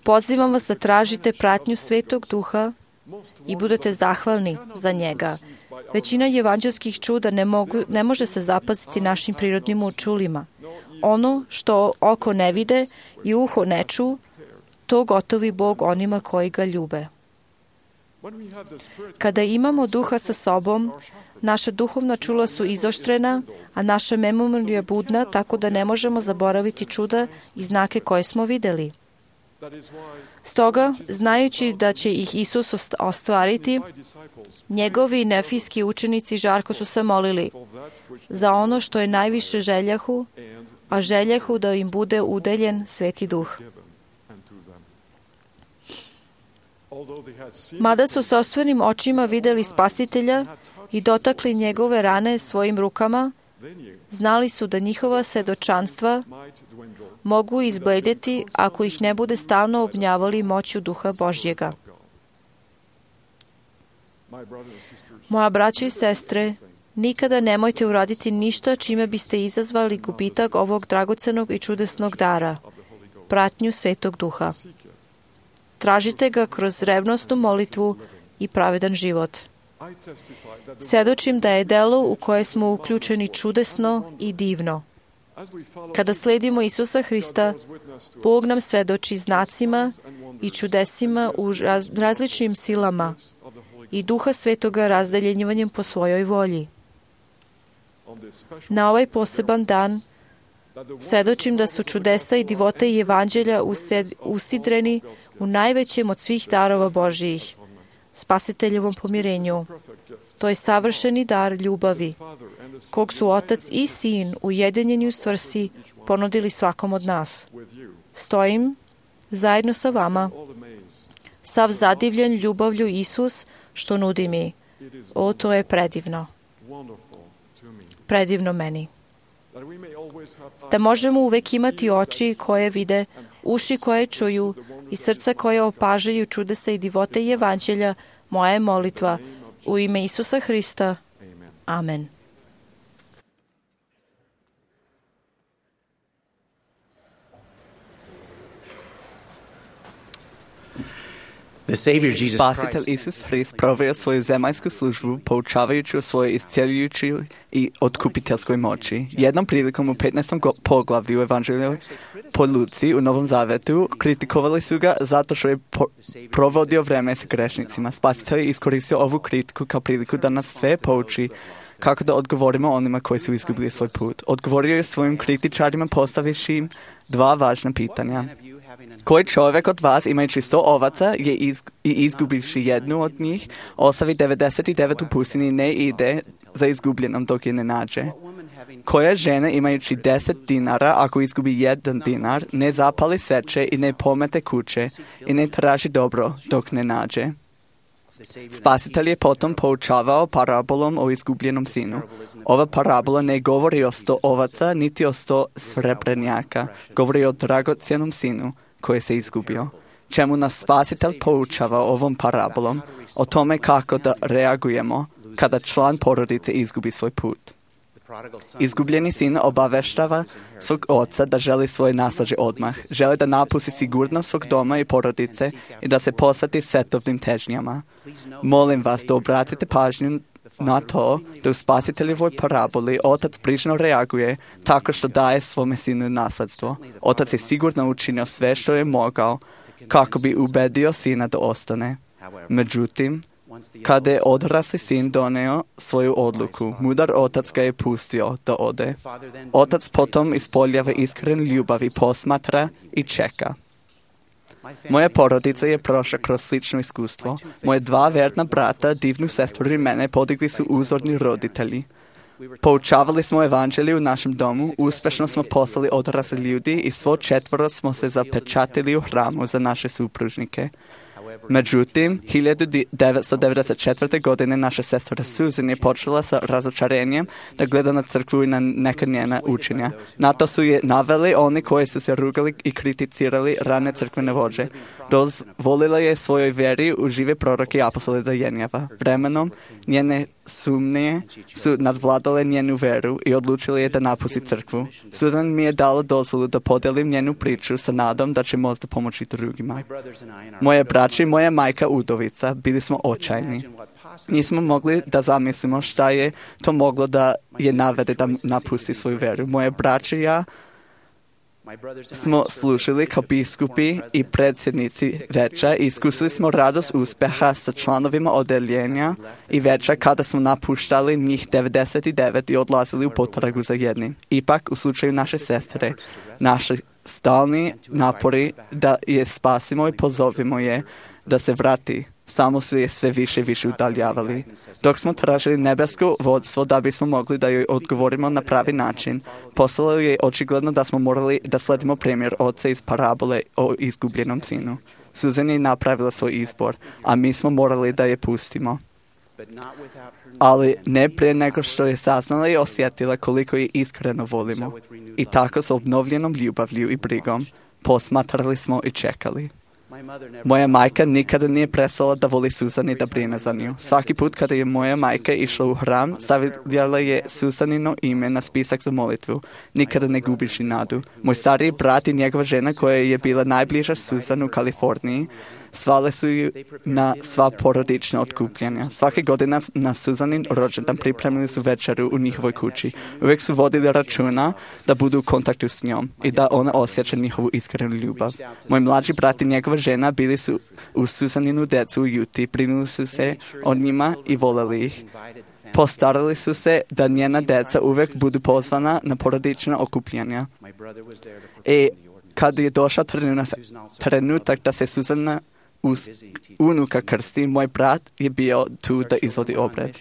pozivam vas da tražite pratnju Svetog Duha i budete zahvalni za njega. Većina evanđelskih čuda ne, mogu, ne može se zapaziti našim prirodnim učulima. Ono što oko ne vide i uho ne ču, to gotovi Bog onima koji ga ljube. Kada imamo Duha sa sobom, naša duhovna čula su izoštrena, a naša memorija budna, tako da ne možemo zaboraviti čuda i znake koje smo videli. Stoga, znajući da će ih Isus ostvariti, njegovi nefijski učenici žarko su se molili za ono što je najviše željahu, a željahu da im bude udeljen Sveti Duh. Mada su sopstvenim očima videli Spasitelja i dotakli njegove rane svojim rukama, znali su da njihova svedočanstva mogu izbledjeti ako ih ne bude stalno obnjavali moću Duha Božjega. Moja braćo i sestre, nikada nemojte uraditi ništa čime biste izazvali gubitak ovog dragocenog i čudesnog dara, pratnju Svetog Duha. Tražite ga kroz revnosnu molitvu i pravedan život. Svedočim da je delo u koje smo uključeni čudesno i divno. Kada sledimo Isusa Hrista, Bog nam svedoči znacima i čudesima u raz, različnim silama i Duha Svetoga razdeljenjivanjem po svojoj volji. Na ovaj poseban dan svedočim da su čudesa i divote i evanđelja used, usidreni u najvećem od svih darova Božijih, Spasiteljevom pomirenju. To je savršeni dar ljubavi, kog su Otac i Sin ujedinjeni u svrsi ponudili svakom od nas. Stojim zajedno sa vama, sav zadivljen ljubavlju Isus što nudi mi. O, to je predivno. Predivno meni. Da možemo uvek imati oči koje vide, uši koje čuju, i srca koje opažaju čudesa i divote i evanđelja, moja je molitva. U ime Isusa Hrista. Amen. Spasitelj Isus Hrist proveo svoju zemaljsku službu poučavajući o svojoj isceljujućoj i otkupiteljskoj moći. Jednom prilikom u petnaestom poglavlju Evanđelja po Luci u Novom Zavetu kritikovali su ga zato što je po- provodio vreme sa grešnicima. Spasitelj je iskoristio ovu kritiku kao priliku da nas sve pouči kako da odgovorimo onima koji su izgubili svoj put. Odgovorio je svojim kritičarima postavivši im dva važna pitanja. Koji čovjek od vas, imajući sto ovaca je iz, i izgubivši jednu od njih, ostavi devedeset devet u pustinji i ne ide za izgubljenom dok je ne nađe? Koja žena, imajući deset dinara, ako izgubi jedan dinar, ne zapali sveće i ne pomete kuće i ne traži dobro dok ne nađe? Spasitelj je potom poučavao parabolom o izgubljenom sinu. Ova parabola ne govori o sto ovaca, niti o sto srebrenjaka. Govori o dragocjenom sinu koji se izgubio. Čemu nas Spasitelj poučava ovom parabolom? O tome kako da reagujemo kada član porodice izgubi svoj put. Izgubljeni sin obaveštava svog oca da želi svoje naslađe odmah. Želi da napusti sigurnost svog doma i porodice i da se posveti svetovnim težnjama. Molim vas da obratite pažnju na to da u Spasiteljevoj paraboli otac brižno reaguje tako što daje svome sinu nasledstvo. Otac je sigurno učinio sve što je mogao kako bi ubedio sina da ostane. Međutim, kada je odrasli sin doneo svoju odluku, mudar otac ga je pustio da ode. Otac potom ispoljava iskren ljubav i posmatra i čeka. Moja porodica je prošla kroz slično iskustvo. Moje dva verna brata, divnu sestru i mene podigli su uzorni roditelji. Poučavali smo evanđelje u našem domu, uspješno smo poslali odrasli ljudi i svo četvoro smo se zapečatili u hramu za naše supružnike. Međutim, hiljadu devetsto devedeset četvrte. godine naša sestra Susan je počela sa razočarenjem da gleda na crkvu i na neka njena učenja. Na to su je naveli oni koji su se rugali i kriticirali rane crkvene vođe. Dozvolila je svojoj vjeri u žive proroke i apostole da jenjava. Vremenom njene sumnje su nadvladale njenu veru i odlučili je da napusti crkvu. Susan mi je dala dozvolu da podelim njenu priču sa nadom da će možda pomoći drugima. Moje braće i moja majka udovica bili smo očajni. Nismo mogli da zamislimo šta je to moglo da je navede da napusti svoju veru. Moje braće i ja smo slušali kao biskupi i predsjednici veća i iskusili smo radost uspjeha sa članovima odeljenja i veća kada smo napuštali njih devedeset devet i odlazili u potragu za jednim. Ipak, u slučaju naše sestre, naši stalni napori da je spasimo i pozovimo je da se vrati, samo su je sve više i više udaljavali. Dok smo tražili nebesko vodstvo da bismo mogli da joj odgovorimo na pravi način, postalo je očigledno da smo morali da sledimo primjer oca iz parabole o izgubljenom sinu. Susan je napravila svoj izbor, a mi smo morali da je pustimo. Ali ne prije nego što je saznala i osjetila koliko je iskreno volimo. I tako s obnovljenom ljubavlju i brigom posmatrali smo i čekali. Moja majka nikada nije prestala da voli Susan i da brine za nju. Svaki put kada je moja majka išla u hram, stavljala je Susanino ime na spisak za molitvu. Nikada ne gubiš i nadu. Moj stariji brat i njegova žena koja je bila najbliža Susan u Kaliforniji, svale su ju na sva porodična otkupljenja. Svake godine na Susanin rođendan pripremili su večeru u njihovoj kući. Uvijek su vodili računa da budu u kontaktu s njom i da ona osjeća njihovu iskrenu ljubav. Moj mlađi brat i njegova žena bili su u Susaninu decu u Juti, brinuli su se o njima i voleli ih. Postarali su se da njena deca uvijek budu pozvana na porodična okupljenja. I kad je došao trenutak, trenutak da se Susana us, unuka krsti, moj brat je bio tu da izvodi obred.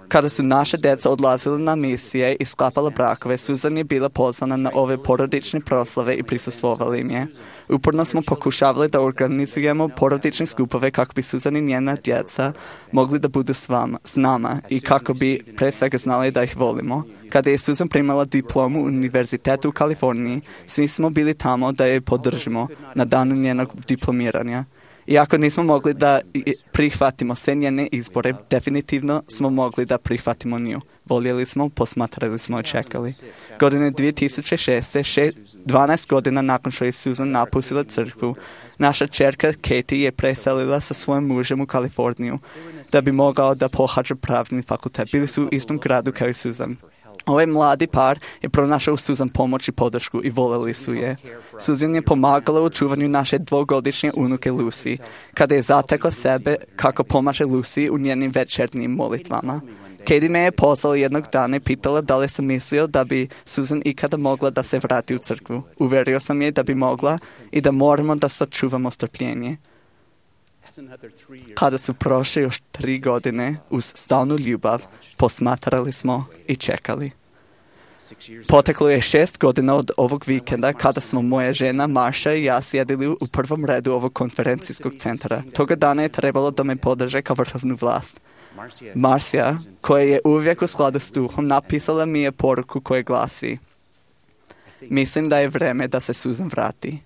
Kada su naše djeca odlazile na misije i sklapala brakove, Susan je bila pozvana na ove porodične proslave i prisustvovali im je. Uporno smo pokušavali da organizujemo porodične skupove kako bi Susan i njena djeca mogli da budu s, vama, s nama i kako bi pre svega znali da ih volimo. Kada je Susan primala diplomu u univerzitetu u Kaliforniji, svi smo bili tamo da je podržimo na danu njenog diplomiranja. Iako nismo mogli da prihvatimo sve njene izbore, definitivno smo mogli da prihvatimo nju. Voljeli smo, posmatrali smo i čekali. Godine dvije tisuće šeste, dvanaest godina nakon što je Susan napustila crkvu, naša čerka Katie je preselila sa svojim mužem u Kaliforniju da bi mogao da pohađa pravni fakultet. Bili su u istom gradu kao i Susan. Ovaj mladi par je pronašao Susan pomoć i podršku i voleli su je. Susan je pomagala u čuvanju naše dvogodišnje unuke Lucy, kada je zatekla sebe kako pomaže Lucy u njenim večernjim molitvama. Katie me je pozvala jednog dana i pitala da li sam mislio da bi Susan ikada mogla da se vrati u crkvu. Uverio sam je da bi mogla i da moramo da sačuvamo strpljenje. Kada su prošle još tri godine, uz stalnu ljubav, posmatrali smo i čekali. Poteklo je šest godina od ovog vikenda kada smo moja žena Marsha i ja sjedili u prvom redu ovog konferencijskog centra. Toga dana je trebalo da me podrže kao vrhovnu vlast. Marcia, koja je uvijek u skladu s duhom, napisala mi je poruku koja glasi: mislim da je vreme da se Susan vrati.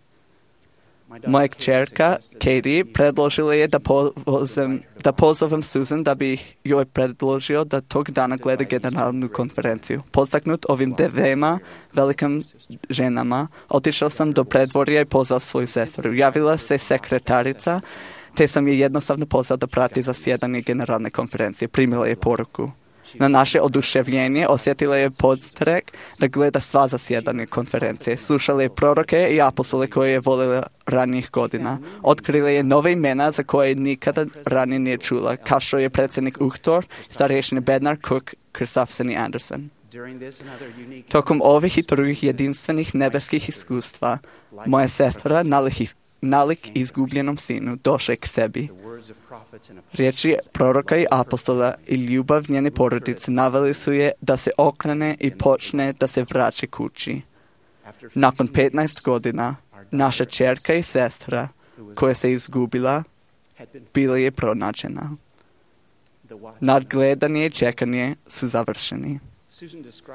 Moja kćerka Katie predložila je da, pozovem, da pozovem Susan da bi joj predložio da tog dana gleda generalnu konferenciju. Podstaknut ovim dvema velikim ženama, otišao sam do predvorja i pozvao svoju sestru. Javila se sekretarica, te sam je jednostavno pozvao da prati zasjedanje generalne konferencije. Primila je poruku. Na naše oduševljenje osjetila je podstrek da gleda sva zasjedanje konferencije. Slušala je proroke i apostole koje je volila ranijih godina. Otkrila je nove imena za koje nikada ranije nije čula, kao što je predsjednik Uchtdorf, starješine Bednar, Cook, Kristofferson i Anderson. Tokom ovih i drugih jedinstvenih nebeskih iskustva, moja sestra, nalik, nalik izgubljenom sinu, došla k sebi. Riječi proroka i apostola i ljubav njene porodice naveli su je da se okrene i počne da se vraća kući. Nakon petnaest godina, naša čerka i sestra, koja se izgubila, bila je pronađena. Nadgledanje i čekanje su završeni.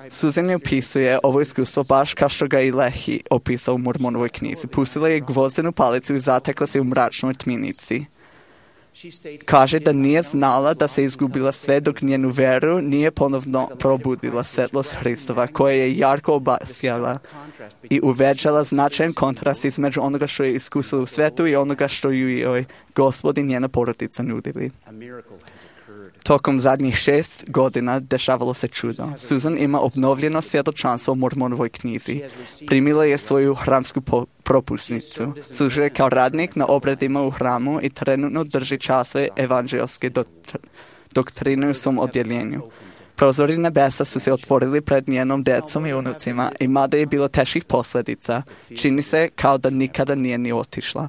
Susan je opisuje ovo iskustvo baš kao što ga i Lehi opisao u Mormonovoj knjizi. Pustila je gvozdenu palicu i zatekla se u mračnoj tminici. Kaže da nije znala da se izgubila sve dok njenu veru nije ponovno probudila svetlost Hristova, koja je jarko obasjala i uvećala značajan kontrast između onoga što je iskusila u svetu i onoga što ju joj Gospod i njena porodica nudili. Tokom zadnjih šest godina dešavalo se čudo. Susan ima obnovljeno svjedočanstvo u Mormonovoj knjizi. Primila je svoju hramsku po- propusnicu. Služuje kao radnik na obredima u hramu i trenutno drži časove evanđelske doktr- doktrine u svom odjeljenju. Prozori nebesa su se otvorili pred njenom djecom i unucima i mada je bilo teških posljedica, čini se kao da nikada nije ni otišla.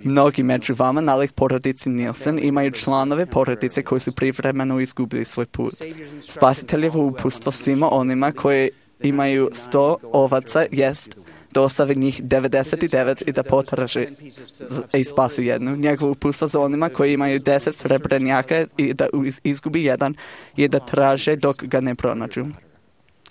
Mnogi među vama, nalik porodici Nielsen, imaju članove porodice koji su privremeno izgubili svoj put. Spasiteljevo uputstvo svima onima koji imaju sto ovaca jest da ostave njih devedeset devet i da potraže i spasu jednu. Njegovo uputstvo za onima koji imaju deset srebrenjaka i da izgubi jedan je da traže dok ga ne pronađu.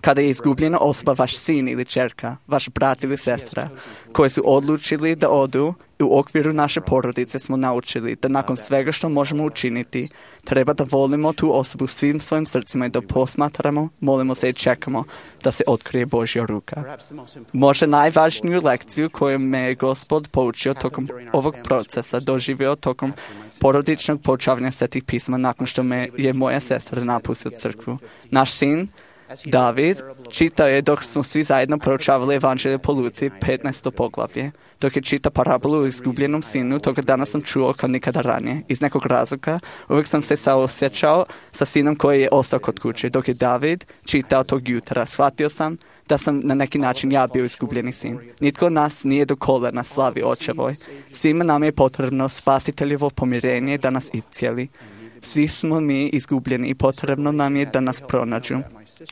Kada je izgubljena osoba, vaš sin ili čerka, vaš brat ili sestra, koji su odlučili da odu, u okviru naše porodice smo naučili da nakon svega što možemo učiniti, treba da volimo tu osobu svim svojim srcima i da posmatramo, molimo se i čekamo da se otkrije Božja ruka. Možda najvažniju lekciju koju me je Gospod poučio tokom ovog procesa doživio tokom porodičnog poučavanja svetih pisma nakon što me je moja sestra napustila crkvu. Naš sin David čitao je dok smo svi zajedno proučavali evanđelje po Luci, petnaesto poglavlje. Dok je čita parabolu o izgubljenom sinu, toga dana sam čuo kao nikada ranije. Iz nekog razloga uvijek sam se saosjećao sa sinom koji je ostao kod kuće. Dok je David čitao tog jutra, shvatio sam da sam na neki način ja bio izgubljeni sin. Nitko od nas nije do kolena slavi očevoj. Svima nam je potrebno spasiteljevo pomirenje da nas iscijeli. Svi smo mi izgubljeni i potrebno nam je da nas pronađu.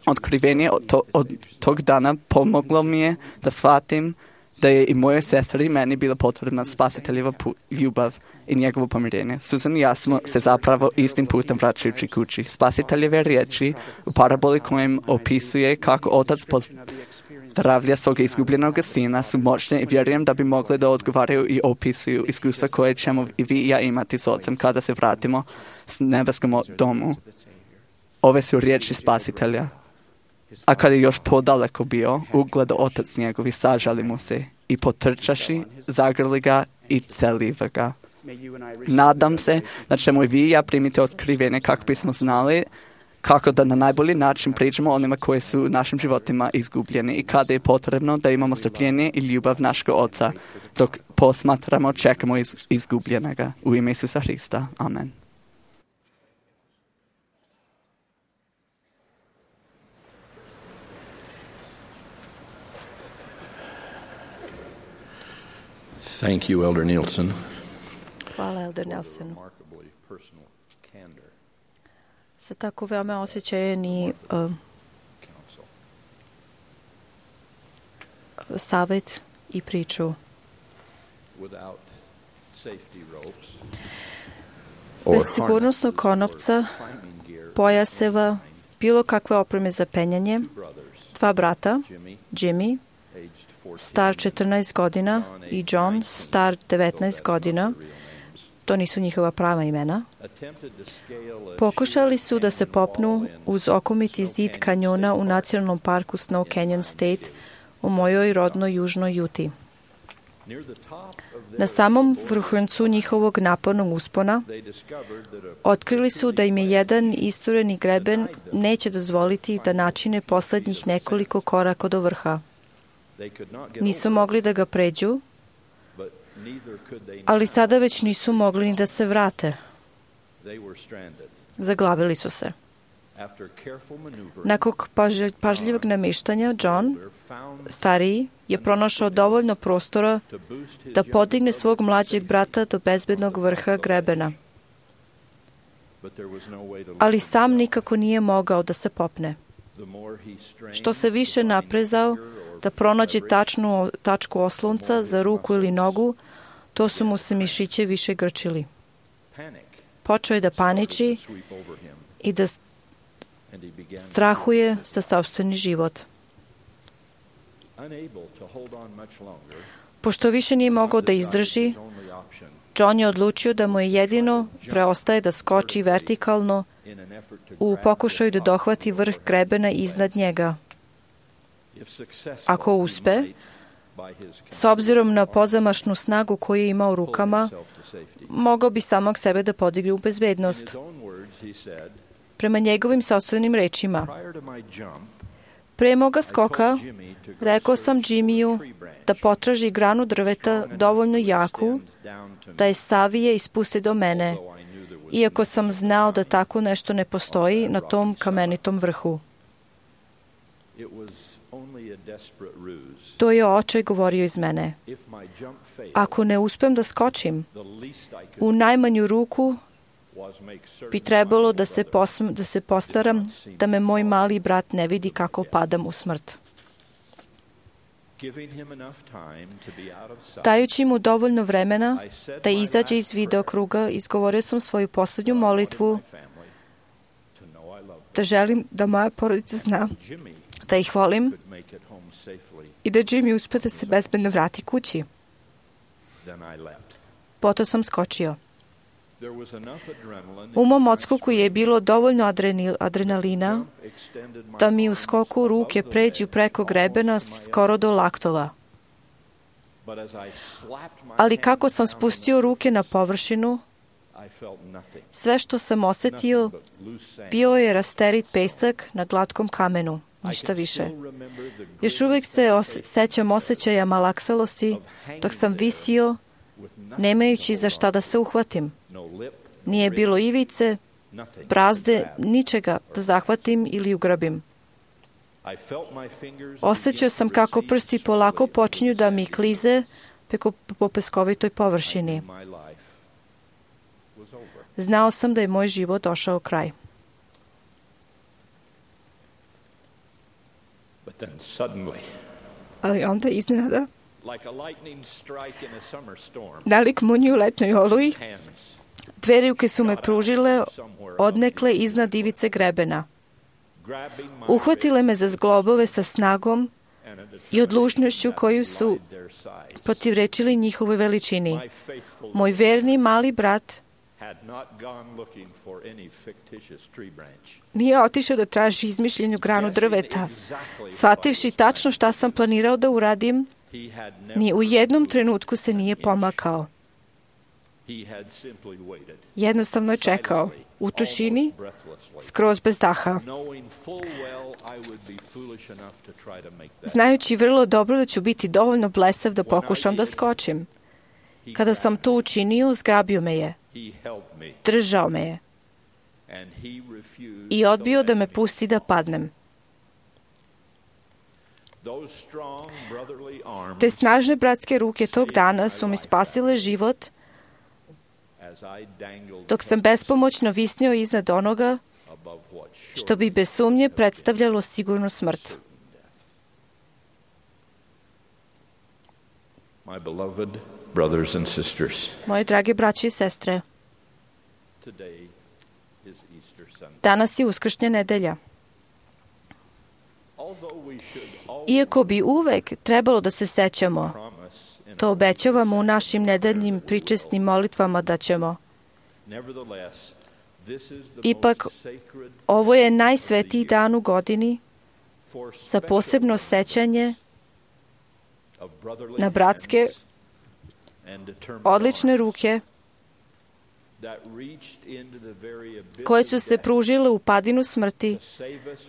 Otkrivenje od, to, od tog dana pomoglo mi je da shvatim da je i moje sestri i meni bila potrebna spasiteljeva ljubav i njegovo pomirenje. Susan i ja smo se zapravo istim putem vraćajući kući. Spasiteljeve riječi u paraboli kojem opisuje kako otac pozdravlja svog izgubljenog sina su moćne i vjerujem da bi mogle da odgovaraju i opisuju iskustva koje ćemo i vi i ja imati s ocem kada se vratimo s nebeskom domu. Ove su riječi spasitelja. A kad je još podaleko bio, ugledao otac njegov i sažali mu se i potrčaši, zagrli ga i celiva ga. Nadam se da ćemo i vi i ja primiti otkrivenje kako bismo znali kako da na najbolji način priđemo onima koji su u našim životima izgubljeni i kada je potrebno da imamo strpljenje i ljubav našeg Oca dok posmatramo, čekamo iz, izgubljenega. U ime Isusa Hrista. Amen. Thank you, Elder Nielsen. Hvala, Elder Nielsen. Za tako veoma osjećajeni uh, savjet i priču. Bez sigurnosnog konopca, pojaseva, bilo kakve opreme za penjanje, dva brata, Jimmy, star četrnaest godina, i John, star devetnaest godina, to nisu njihova prava imena, pokušali su da se popnu uz okomiti zid kanjona u nacionalnom parku Snow Canyon State u mojoj rodnoj južnoj Juti. Na samom vrhuncu njihovog napornog uspona otkrili su da im je jedan istureni greben neće dozvoliti da načine poslednjih nekoliko koraka do vrha. Nisu mogli da ga pređu, ali sada već nisu mogli ni da se vrate. Zaglavili su se. Nakon pažljivog namještanja, John, stariji, je pronašao dovoljno prostora da podigne svog mlađeg brata do bezbednog vrha grebena. Ali sam nikako nije mogao da se popne. Što se više naprezao da pronađe tačnu tačku oslonca za ruku ili nogu, to su mu se mišiće više grčili. Počeo je da paniči i da strahuje za sopstveni život. Pošto više nije mogao da izdrži, John je odlučio da mu je jedino preostaje da skoči vertikalno u pokušaju da dohvati vrh grebena iznad njega. Ako uspe, s obzirom na pozamašnu snagu koju je imao u rukama, mogao bi samog sebe da podigne u bezbednost. Prema njegovim sopstvenim rečima, pre moga skoka, rekao sam Jimmyu da potraži granu drveta dovoljno jaku da je savije i spusti do mene, iako sam znao da tako nešto ne postoji na tom kamenitom vrhu. To je očaj govorio iz mene. Ako ne uspem da skočim, u najmanju ruku bi trebalo da se, posm, da se postaram da me moj mali brat ne vidi kako padam u smrt. Dajući mu dovoljno vremena da izađe iz videokruga, izgovorio sam svoju posljednju molitvu da želim da moja porodica zna da ih volim i da Jimmy uspe da se bezbedno vrati kući. Potom sam skočio. U mom odskoku je bilo dovoljno adrenalina da mi u skoku ruke pređu preko grebena skoro do laktova. Ali kako sam spustio ruke na površinu, sve što sam osetio bio je rasterit pesak na glatkom kamenu, ništa više. Još uvijek se os- sećam osjećaja malaksalosti dok sam visio, nemajući za šta da se uhvatim. Nije bilo ivice, brazde, ničega da zahvatim ili ugrabim. Osjećao sam kako prsti polako počinju da mi klize preko po peskovitoj površini. Znao sam da je moj život došao kraj. Ali onda iznenada, nalik munji u letnoj oluji, dve ruke su me pružile odnekle iznad ivice grebena. Uhvatile me za zglobove sa snagom i odlučnošću koju su protivrečili njihovoj veličini. Moj verni mali brat nije otišao da traži izmišljenu granu drveta. Shvativši tačno šta sam planirao da uradim, ni u jednom trenutku se nije pomakao. Jednostavno je čekao, u tišini, skroz bez daha. Znajući vrlo dobro da ću biti dovoljno blesav da pokušam da skočim. Kada sam to učinio, zgrabio me je. Držao me je. I odbio da me pusti da padnem. Te snažne bratske ruke tog dana su mi spasile život dok sam bespomoćno visnio iznad onoga što bi bez sumnje predstavljalo sigurnu smrt. Moje drage braće i sestre, danas je Uskršnja nedelja. Iako bi uvek trebalo da se sećamo, to obećavamo u našim nedeljnim pričesnim molitvama da ćemo. Ipak, ovo je najsvetiji dan u godini za posebno sećanje na bratske odlične ruke koje su se pružile u padinu smrti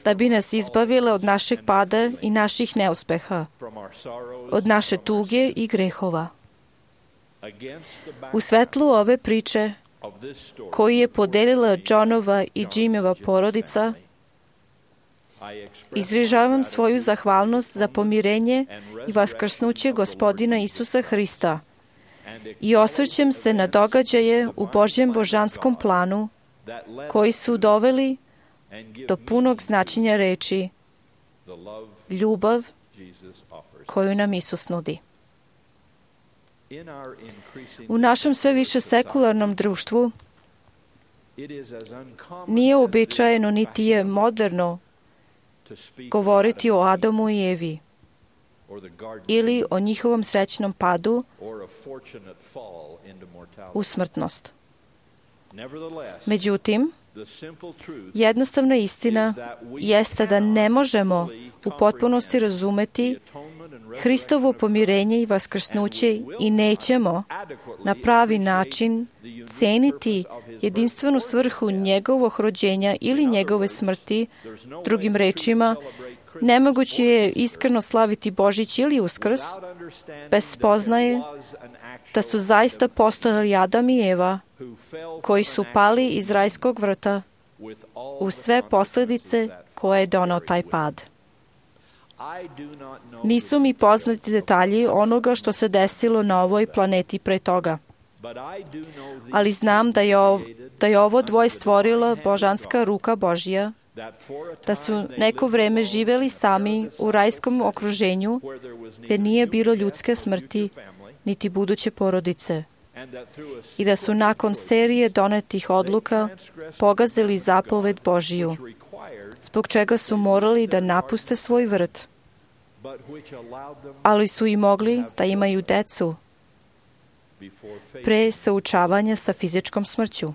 da bi nas izbavile od našeg pada i naših neuspeha, od naše tuge i grehova. U svetlu ove priče koju je podelila Johnova i Jimova porodica, izražavam svoju zahvalnost za pomirenje i vaskrsnuće Gospodina Isusa Hrista i osvrćem se na događaje u Božjem božanskom planu koji su doveli do punog značenja reči ljubav koju nam Isus nudi. U našem sve više sekularnom društvu nije uobičajeno niti je moderno govoriti o Adamu i Evi ili o njihovom srećnom padu u smrtnost. Međutim, jednostavna istina jeste da ne možemo u potpunosti razumeti Hristovo pomirenje i vaskrsnuće i nećemo na pravi način ceniti jedinstvenu svrhu njegovog rođenja ili njegove smrti. Drugim rečima, nemoguće je iskreno slaviti Božić ili Uskrs bez spoznaje da su zaista postojali Adam i Eva koji su pali iz rajskog vrta u sve posljedice koje je donao taj pad. Nisu mi poznati detalji onoga što se desilo na ovoj planeti pre toga, ali znam da je, ov, da je ovo dvoje stvorila božanska ruka Božja, da su neko vreme živeli sami u rajskom okruženju gdje nije bilo ljudske smrti niti buduće porodice i da su nakon serije donetih odluka pogazili zapoved Božiju, zbog čega su morali da napuste svoj vrt, ali su i mogli da imaju decu pre suočavanja sa fizičkom smrću.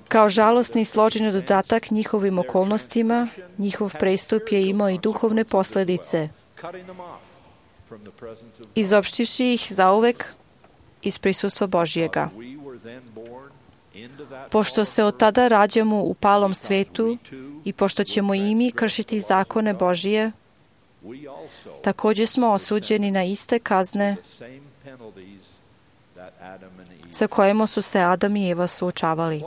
Kao žalosni i složeni dodatak njihovim okolnostima, njihov prestup je imao i duhovne posljedice, izopštivši ih zauvek iz prisustva Božjega. Pošto se od tada rađamo u palom svetu i pošto ćemo i mi kršiti zakone Božije, također smo osuđeni na iste kazne sa kojima su se Adam i Eva suočavali.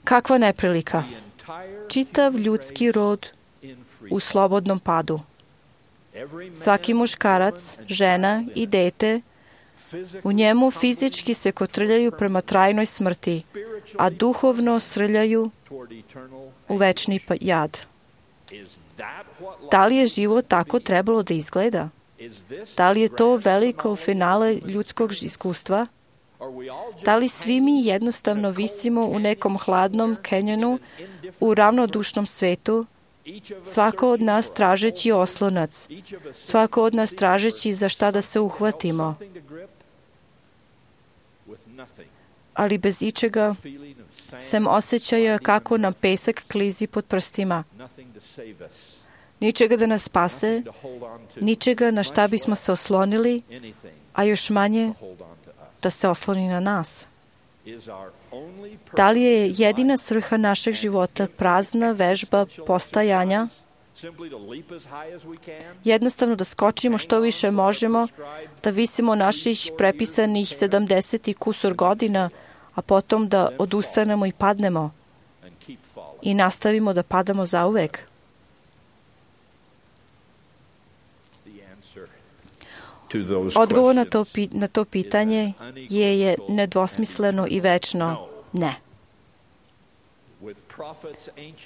Kakva neprilika! čitav ljudski rod u slobodnom padu. Svaki muškarac, žena i dete u njemu fizički se kotrljaju prema trajnoj smrti, a duhovno srljaju u večni jad. Da li je život tako trebalo da izgleda? Da li je to veliko finale ljudskog iskustva? Da li svi mi jednostavno visimo u nekom hladnom kenjonu u ravnodušnom svetu, svako od nas tražeći oslonac, svako od nas tražeći za šta da se uhvatimo, ali bez ičega, sem osjećaja kako nam pesak klizi pod prstima. Ničega da nas spase, ničega na šta bismo se oslonili, a još manje da se osloni na nas. Da li je jedina svrha našeg života prazna vežba postajanja? Jednostavno da skočimo što više možemo, da visimo naših prepisanih sedamdeset i kusur godina, a potom da odustanemo i padnemo i nastavimo da padamo zauvek? Odgovor na to, na to pitanje je, je nedvosmisleno i večno ne.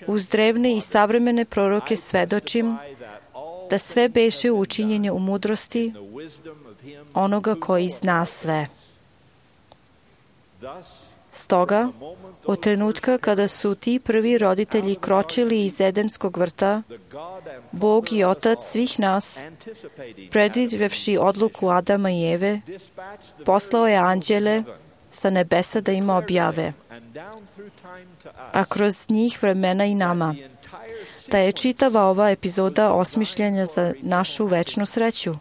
Uz drevne i savremene proroke svedočim da sve beše učinjenje u mudrosti onoga koji zna sve. Stoga, od trenutka kada su ti prvi roditelji kročili iz Edenskog vrta, Bog i Otac svih nas, predvidevši odluku Adama i Eve, poslao je anđele sa nebesa da im objave, a kroz njih vremena i nama, da je čitava ova epizoda osmišljanja za našu večnu sreću.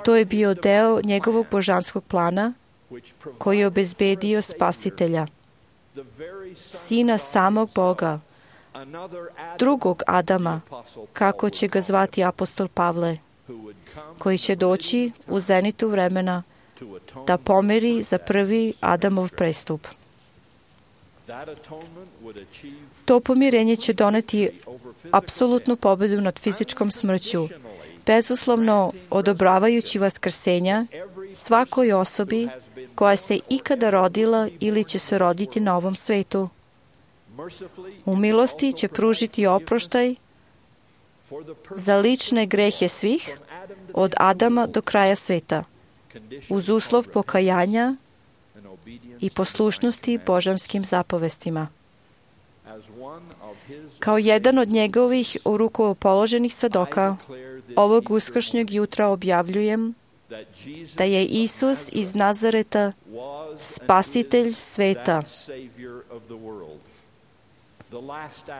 To je bio deo njegovog božanskog plana, koji je obezbedio Spasitelja, Sina samog Boga, drugog Adama, kako će ga zvati apostol Pavle, koji će doći u zenitu vremena da pomeri za prvi Adamov prestup. To pomirenje će doneti apsolutnu pobedu nad fizičkom smrću, bezuslovno odobravajući vaskrsenja svakoj osobi koja se ikada rodila ili će se roditi na ovom svetu. U milosti će pružiti oproštaj za lične grehe svih, od Adama do kraja sveta, uz uslov pokajanja i poslušnosti božanskim zapovestima. Kao jedan od njegovih u ruku položenih svedoka, ovog uskršnjeg jutra objavljujem da je Isus iz Nazareta spasitelj sveta,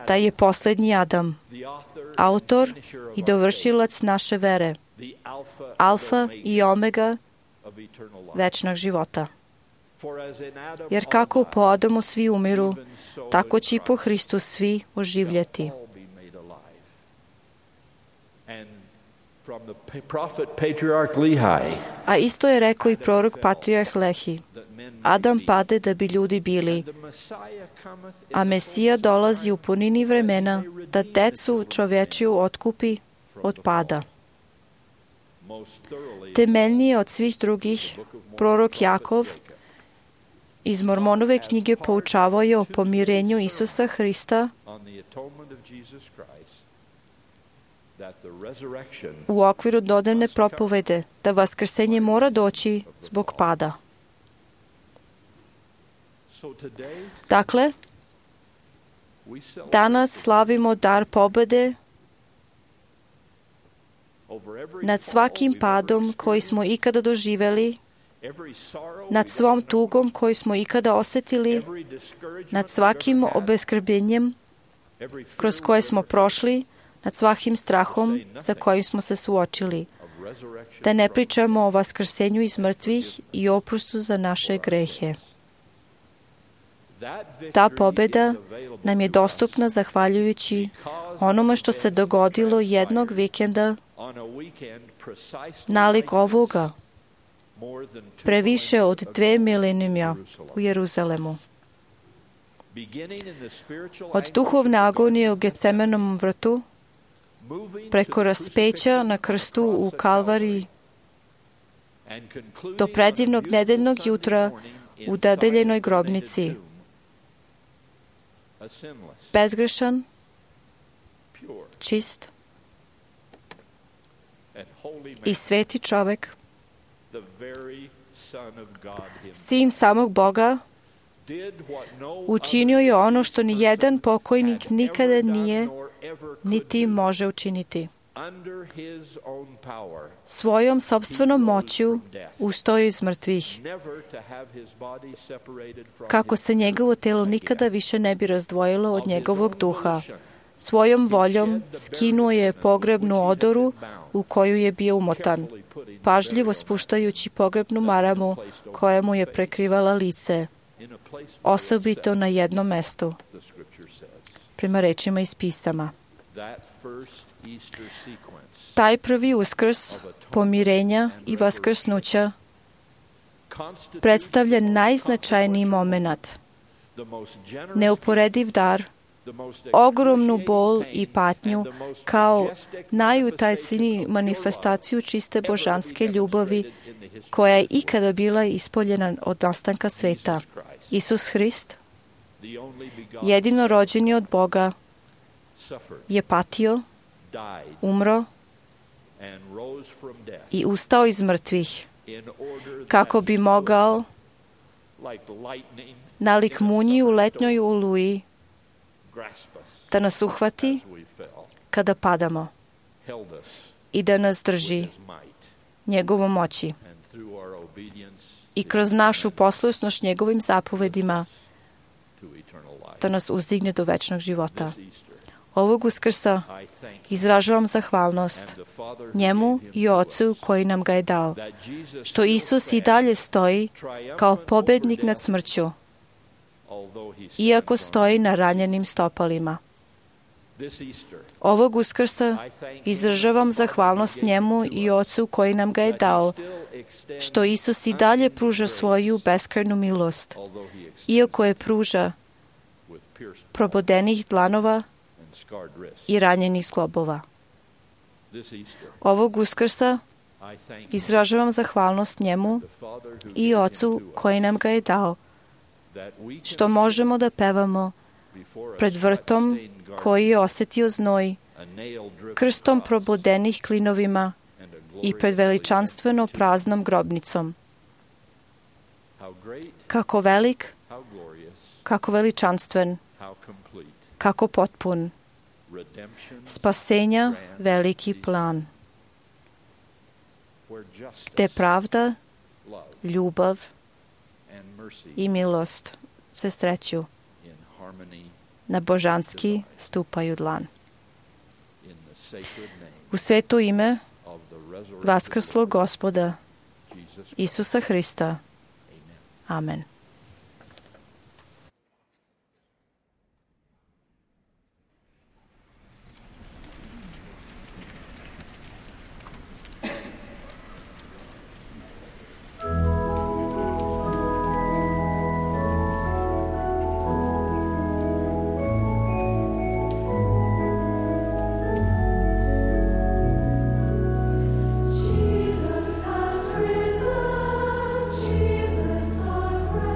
da je posljednji Adam, autor i dovršilac naše vere, alfa i omega večnog života. Jer kako po Adamu svi umiru, tako će i po Hristu svi oživljeti. A isto je rekao i prorok patrijarh Lehi. Adam pade da bi ljudi bili, a Mesija dolazi u punini vremena da decu čovečiju otkupi od pada. Temeljnije od svih drugih, prorok Jakov iz Mormonove knjige poučavao je o pomirenju Isusa Hrista u okviru dodane propovede da vaskrsenje mora doći zbog pada. Dakle, danas slavimo dar pobede nad svakim padom koji smo ikada doživeli, nad svom tugom koju smo ikada osjetili, nad svakim obeskrbljenjem kroz koje smo prošli, nad svakim strahom sa kojim smo se suočili. Da ne pričamo o vaskrsenju iz mrtvih i oprostu za naše grehe. Ta pobjeda nam je dostupna zahvaljujući onome što se dogodilo jednog vikenda nalik ovoga, previše od dve milenijuma u Jeruzalemu. Od duhovne agonije u Gecemenom vrtu, preko raspeća na krstu u Kalvariji, do predivnog nedeljnog jutra u dodeljenoj grobnici. Bezgrešan, čist i sveti čovek, sin samog Boga, učinio je ono što ni jedan pokojnik nikada nije niti može učiniti. Svojom sopstvenom moću ustao je iz mrtvih, kako se njegovo telo nikada više ne bi razdvojilo od njegovog duha. Svojom voljom skinuo je pogrebnu odoru u koju je bio umotan, pažljivo spuštajući pogrebnu maramu koja mu je prekrivala lice, osobito na jednom mestu, prema rečima iz pisama. Taj prvi uskrs, pomirenja i vaskrsnuća predstavlja najznačajniji moment, neuporediv dar, ogromnu bol i patnju kao najutajciniju manifestaciju čiste božanske ljubavi koja je ikada bila ispoljena od nastanka sveta. Isus Hrist, jedino rođeni od Boga, je patio, umro i ustao iz mrtvih, kako bi mogao, nalik munji u letnjoj oluji, da nas uhvati kada padamo i da nas drži njegovom moći i kroz našu poslušnost njegovim zapovedima da nas uzdigne do večnog života. Ovog Uskrsa izražavam zahvalnost njemu i Ocu koji nam ga je dao, što Isus i dalje stoji kao pobednik nad smrću, iako stoji na ranjenim stopalima. Ovog Uskrsa izražavam zahvalnost njemu i Ocu koji nam ga je dao, što Isus i dalje pruža svoju beskrajnu milost, iako je pruža probodenih dlanova i ranjenih zglobova. Ovog Uskrsa izražavam zahvalnost njemu i Ocu koji nam ga je dao, što možemo da pevamo pred vrtom koji je osjetio znoj, krstom probodenih klinovima i pred veličanstveno praznom grobnicom. Kako velik, kako veličanstven, kako potpun, spasenja veliki plan, gde pravda, ljubav i milost se sreću, na božanski stupaju dlan. U sveto ime vaskrslog Gospoda Isusa Hrista. Amen. Jesus has risen, Jesus our friend.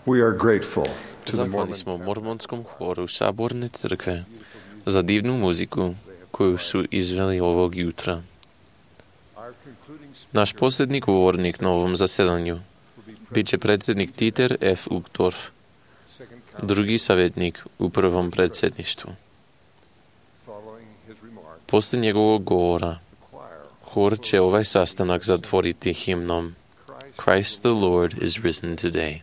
We are grateful to the Zahvalni smo mormonskom horu Saborne crkve za divnu muziku koju su izveli ovog jutra. Naš posljednji govornik na ovom zasedanju bit će predsjednik Dieter F. Uchtdorf, drugi savjetnik u prvom predsjedništvu. Poslije njegovog govora, hor će ovaj sastanak zatvoriti himnom Christ the Lord is risen today.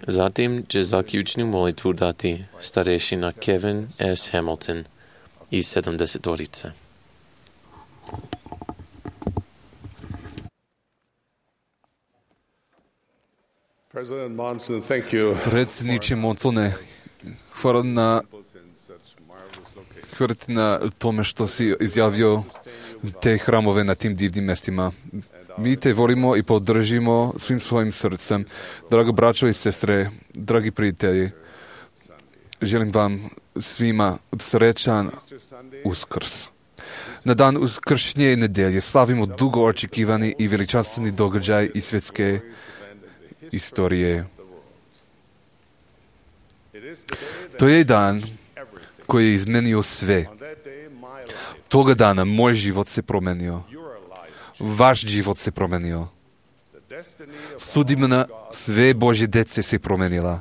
Zatim će zaključnu molitvu dati starešina Kevin S. Hamilton iz sedamdesetorice. President Monson, thank you. Predsjedniče Monsone, hvala na, hvala na tome što si izjavio te hramove na tim divnim mjestima. Mi te volimo i podržimo svim svojim srcem. Drago braćo i sestre, dragi prijatelji, želim vam svima srećan Uskrs. Na dan uskršnje nedelje slavimo dugo očekivani i veličanstveni događaj iz svjetske istorije. To je dan koji je izmenio sve. Toga dana moj život se promenio. Vaš život se promenio. Sudbina sve Božje dece se promenila.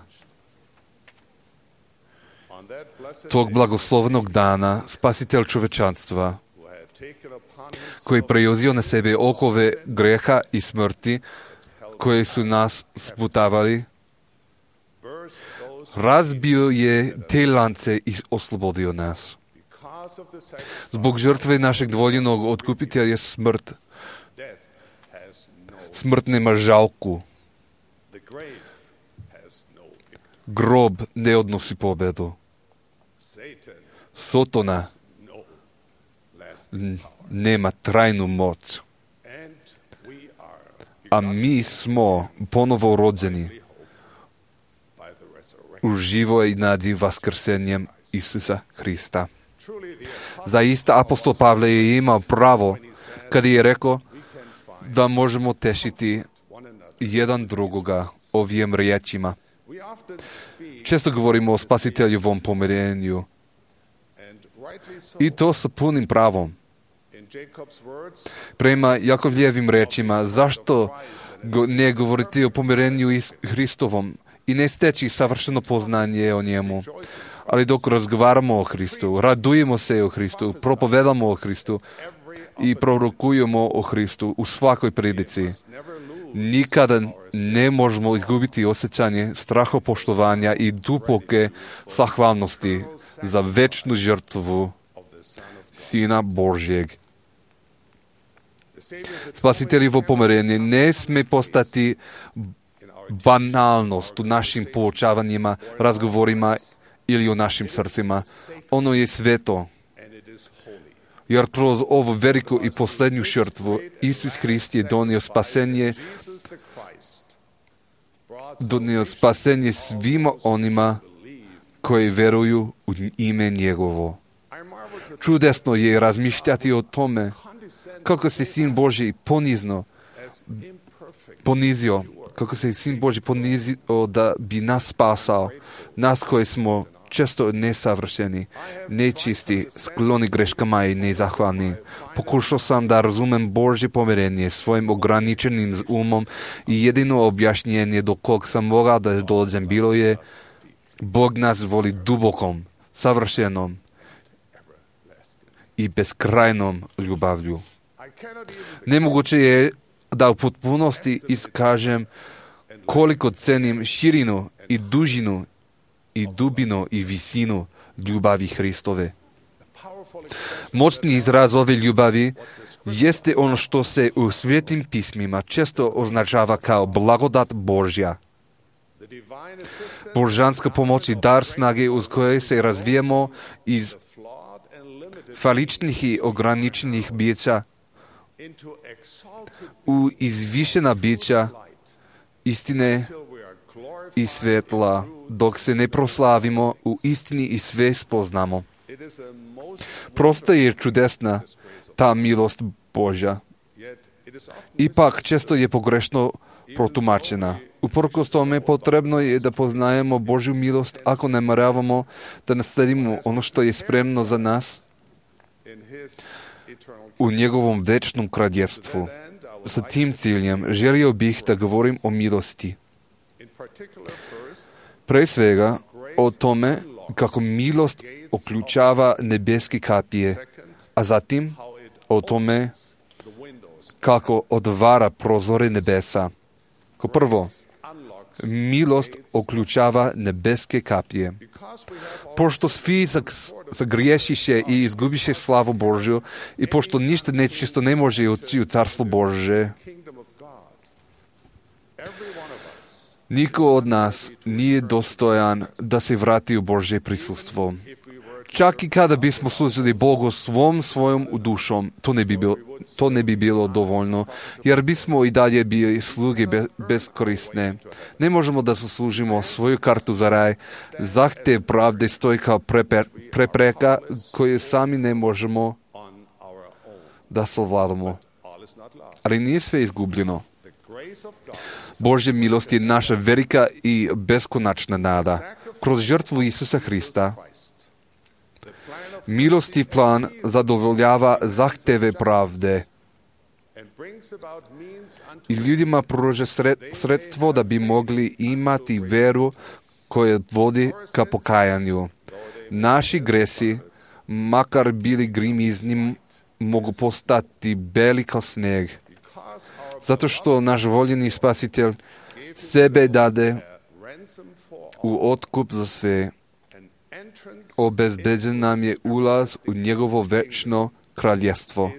Tog blagoslovnog dana spasitelj čovečanstva, koji je preuzeo na sebe okove greha i smrti, koje su nas sputavali, razbio je te lance i oslobodio nas. Zbog žrtve našeg dvoljenog otkupitelja smrt, smrt nema žalku. Grob ne odnosi pobedu. Sotona nema trajnu moć. A mi smo ponovo rođeni u živoj nadi vaskrsenjem Isusa Hrista. Zaista apostol Pavle je imao pravo kad je rekao da možemo tešiti jedan drugoga ovim riječima. Često govorimo o spasiteljevom pomirenju i to sa punim pravom. Prema Jakovljevim rečima, zašto ne govoriti o pomirenju i Hristovom i ne steći savršeno poznanje o njemu? Ali dok razgovaramo o Hristu, radujemo se o Hristu, propovedamo o Hristu i prorokujemo o Hristu u svakoj prilici, nikada ne možemo izgubiti osjećanje strahopoštovanja i duboke zahvalnosti za večnu žrtvu Sina Božjeg. Spasiteljevo pomirenje ne sme postati banalnost u našim poučavanjima, razgovorima ili u našim srcima. Ono je sveto. Jer kroz ovu veliku i posljednju žrtvu Isus Hrist je donio spasenje, donio spasenje svima onima koji veruju u ime njegovo. Čudesno je razmišljati o tome kako se Sin Božji ponizno ponizio, kako se Sin Božji ponizio da bi nas spasao, nas koji smo često nesavršeni, nečisti, skloni greškama i nezahvalni. Pokušao sam da razumem Božje pomirenje svojim ograničenim umom i jedino objašnjenje do kog sam mogao da dođem bilo je: Bog nas voli dubokom, savršenom i beskrajnom ljubavlju. Nemoguće je da u potpunosti iskažem koliko cenim širinu i dužinu i dubinu i visinu ljubavi Hristove. Moćni izraz ove ljubavi jeste ono što se u svetim pismima često označava kao blagodat Božja. Božanska pomoć i dar snage uz koje se razvijemo iz faličnih i ograničenih bića u izvišena bića istine i svetla, dok se ne proslavimo u istini i sve spoznamo. Prosto je čudesna ta milost Božja. Ipak često je pogrešno protumačena. Uprkos tome potrebno je da poznajemo Božju milost ako ne nameravamo da nasledimo ono što je spremno za nas u njegovom večnom kraljevstvu. Sa tim ciljem želio bih da govorim o milosti. Pre svega o tome kako milost uključava nebeske kapije, a zatim o tome kako otvara prozore nebesa. Ko prvo, milost uključava nebeske kapije. Pošto svi zagriješiše i izgubiše slavu Božju i pošto ništa nečisto ne može ući u carstvo Božje, niko od nas nije dostojan da se vrati u Božje prisustvo. Čak i kada bismo služili Bogu svom svojom dušom, to ne bi bilo, to ne bi bilo dovoljno, jer bismo i dalje bili sluge be, beskorisne. Ne možemo da zaslužimo svoju kartu za raj. Zahtev pravde stoji kao preper, prepreka koju sami ne možemo da savladamo. Ali nije sve izgubljeno. Božja milost je naša velika i beskonačna nada. Kroz žrtvu Isusa Hrista milostiv plan zadovoljava zahteve pravde i ljudima pruža sredstvo da bi mogli imati veru koja vodi ka pokajanju. Naši gresi, makar bili grimizni, mogu postati beli kao sneg. Zato što naš voljeni spasitelj sebe dade u otkup za sve. Obezbeđen nam je ulaz u njegovo večno kraljevstvo.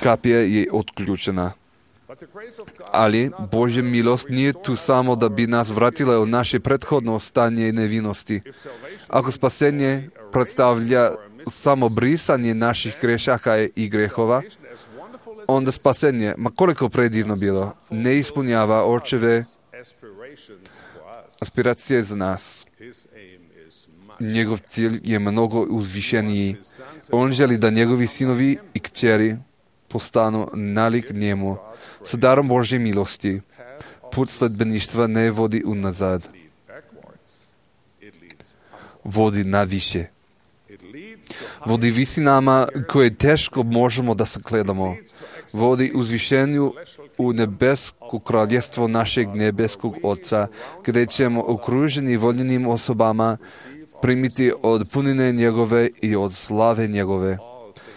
Kapija je otključena. Ali Božja milost nije tu samo da bi nas vratila u naše prethodno stanje nevinosti. Ako spasenje predstavlja samo brisanje naših grešaka i grehova, onda spasenje, ma koliko predivno bilo, ne ispunjava očeve aspiracije za nas. Njegov cilj je mnogo uzvišeniji. On želi da njegovi sinovi i kćeri postanu nalik njemu. Sa darom Božje milosti put sledbeništva ne vodi unazad. Vodi naviše. Vodi visinama koje teško možemo da sagledamo. Vodi uzvišenju u nebesko kraljevstvo našeg nebeskog Oca, gdje ćemo okruženi voljenim osobama primiti od punine njegove i od slave njegove.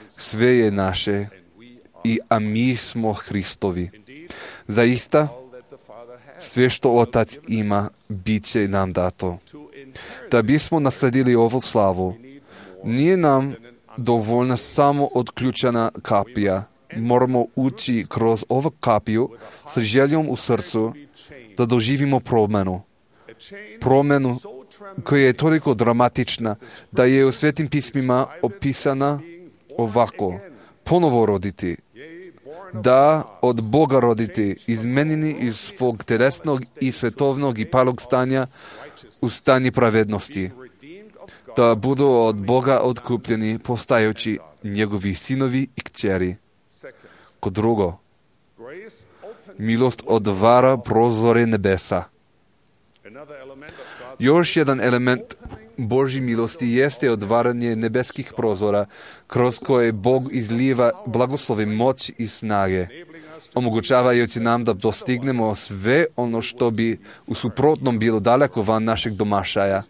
Sve je naše, i a mi smo Hristovi. Zaista, sve što Otac ima, bit će nam dato. Da bismo nasledili ovu slavu, Nije nam dovoljna samo odključena kapija. Moramo ući kroz ovu kapiju sa željom u srcu da doživimo promjenu. Promjenu koja je toliko dramatična da je u Svetim pismima opisana ovako. Ponovo roditi. Da od Boga roditi, izmenjeni iz svog telesnog i svetovnog i palog stanja u stanje pravednosti. Da budu od Boga otkupljeni postajući njegovi sinovi i kćeri. Kod drugo, milost otvara prozore nebesa. Još jedan element Božje milosti jeste otvaranje nebeskih prozora, kroz koje Bog izliva blagoslove, moć i snage, omogućavajući nam da dostignemo sve ono što bi u suprotnom bilo daleko van našeg domašaja.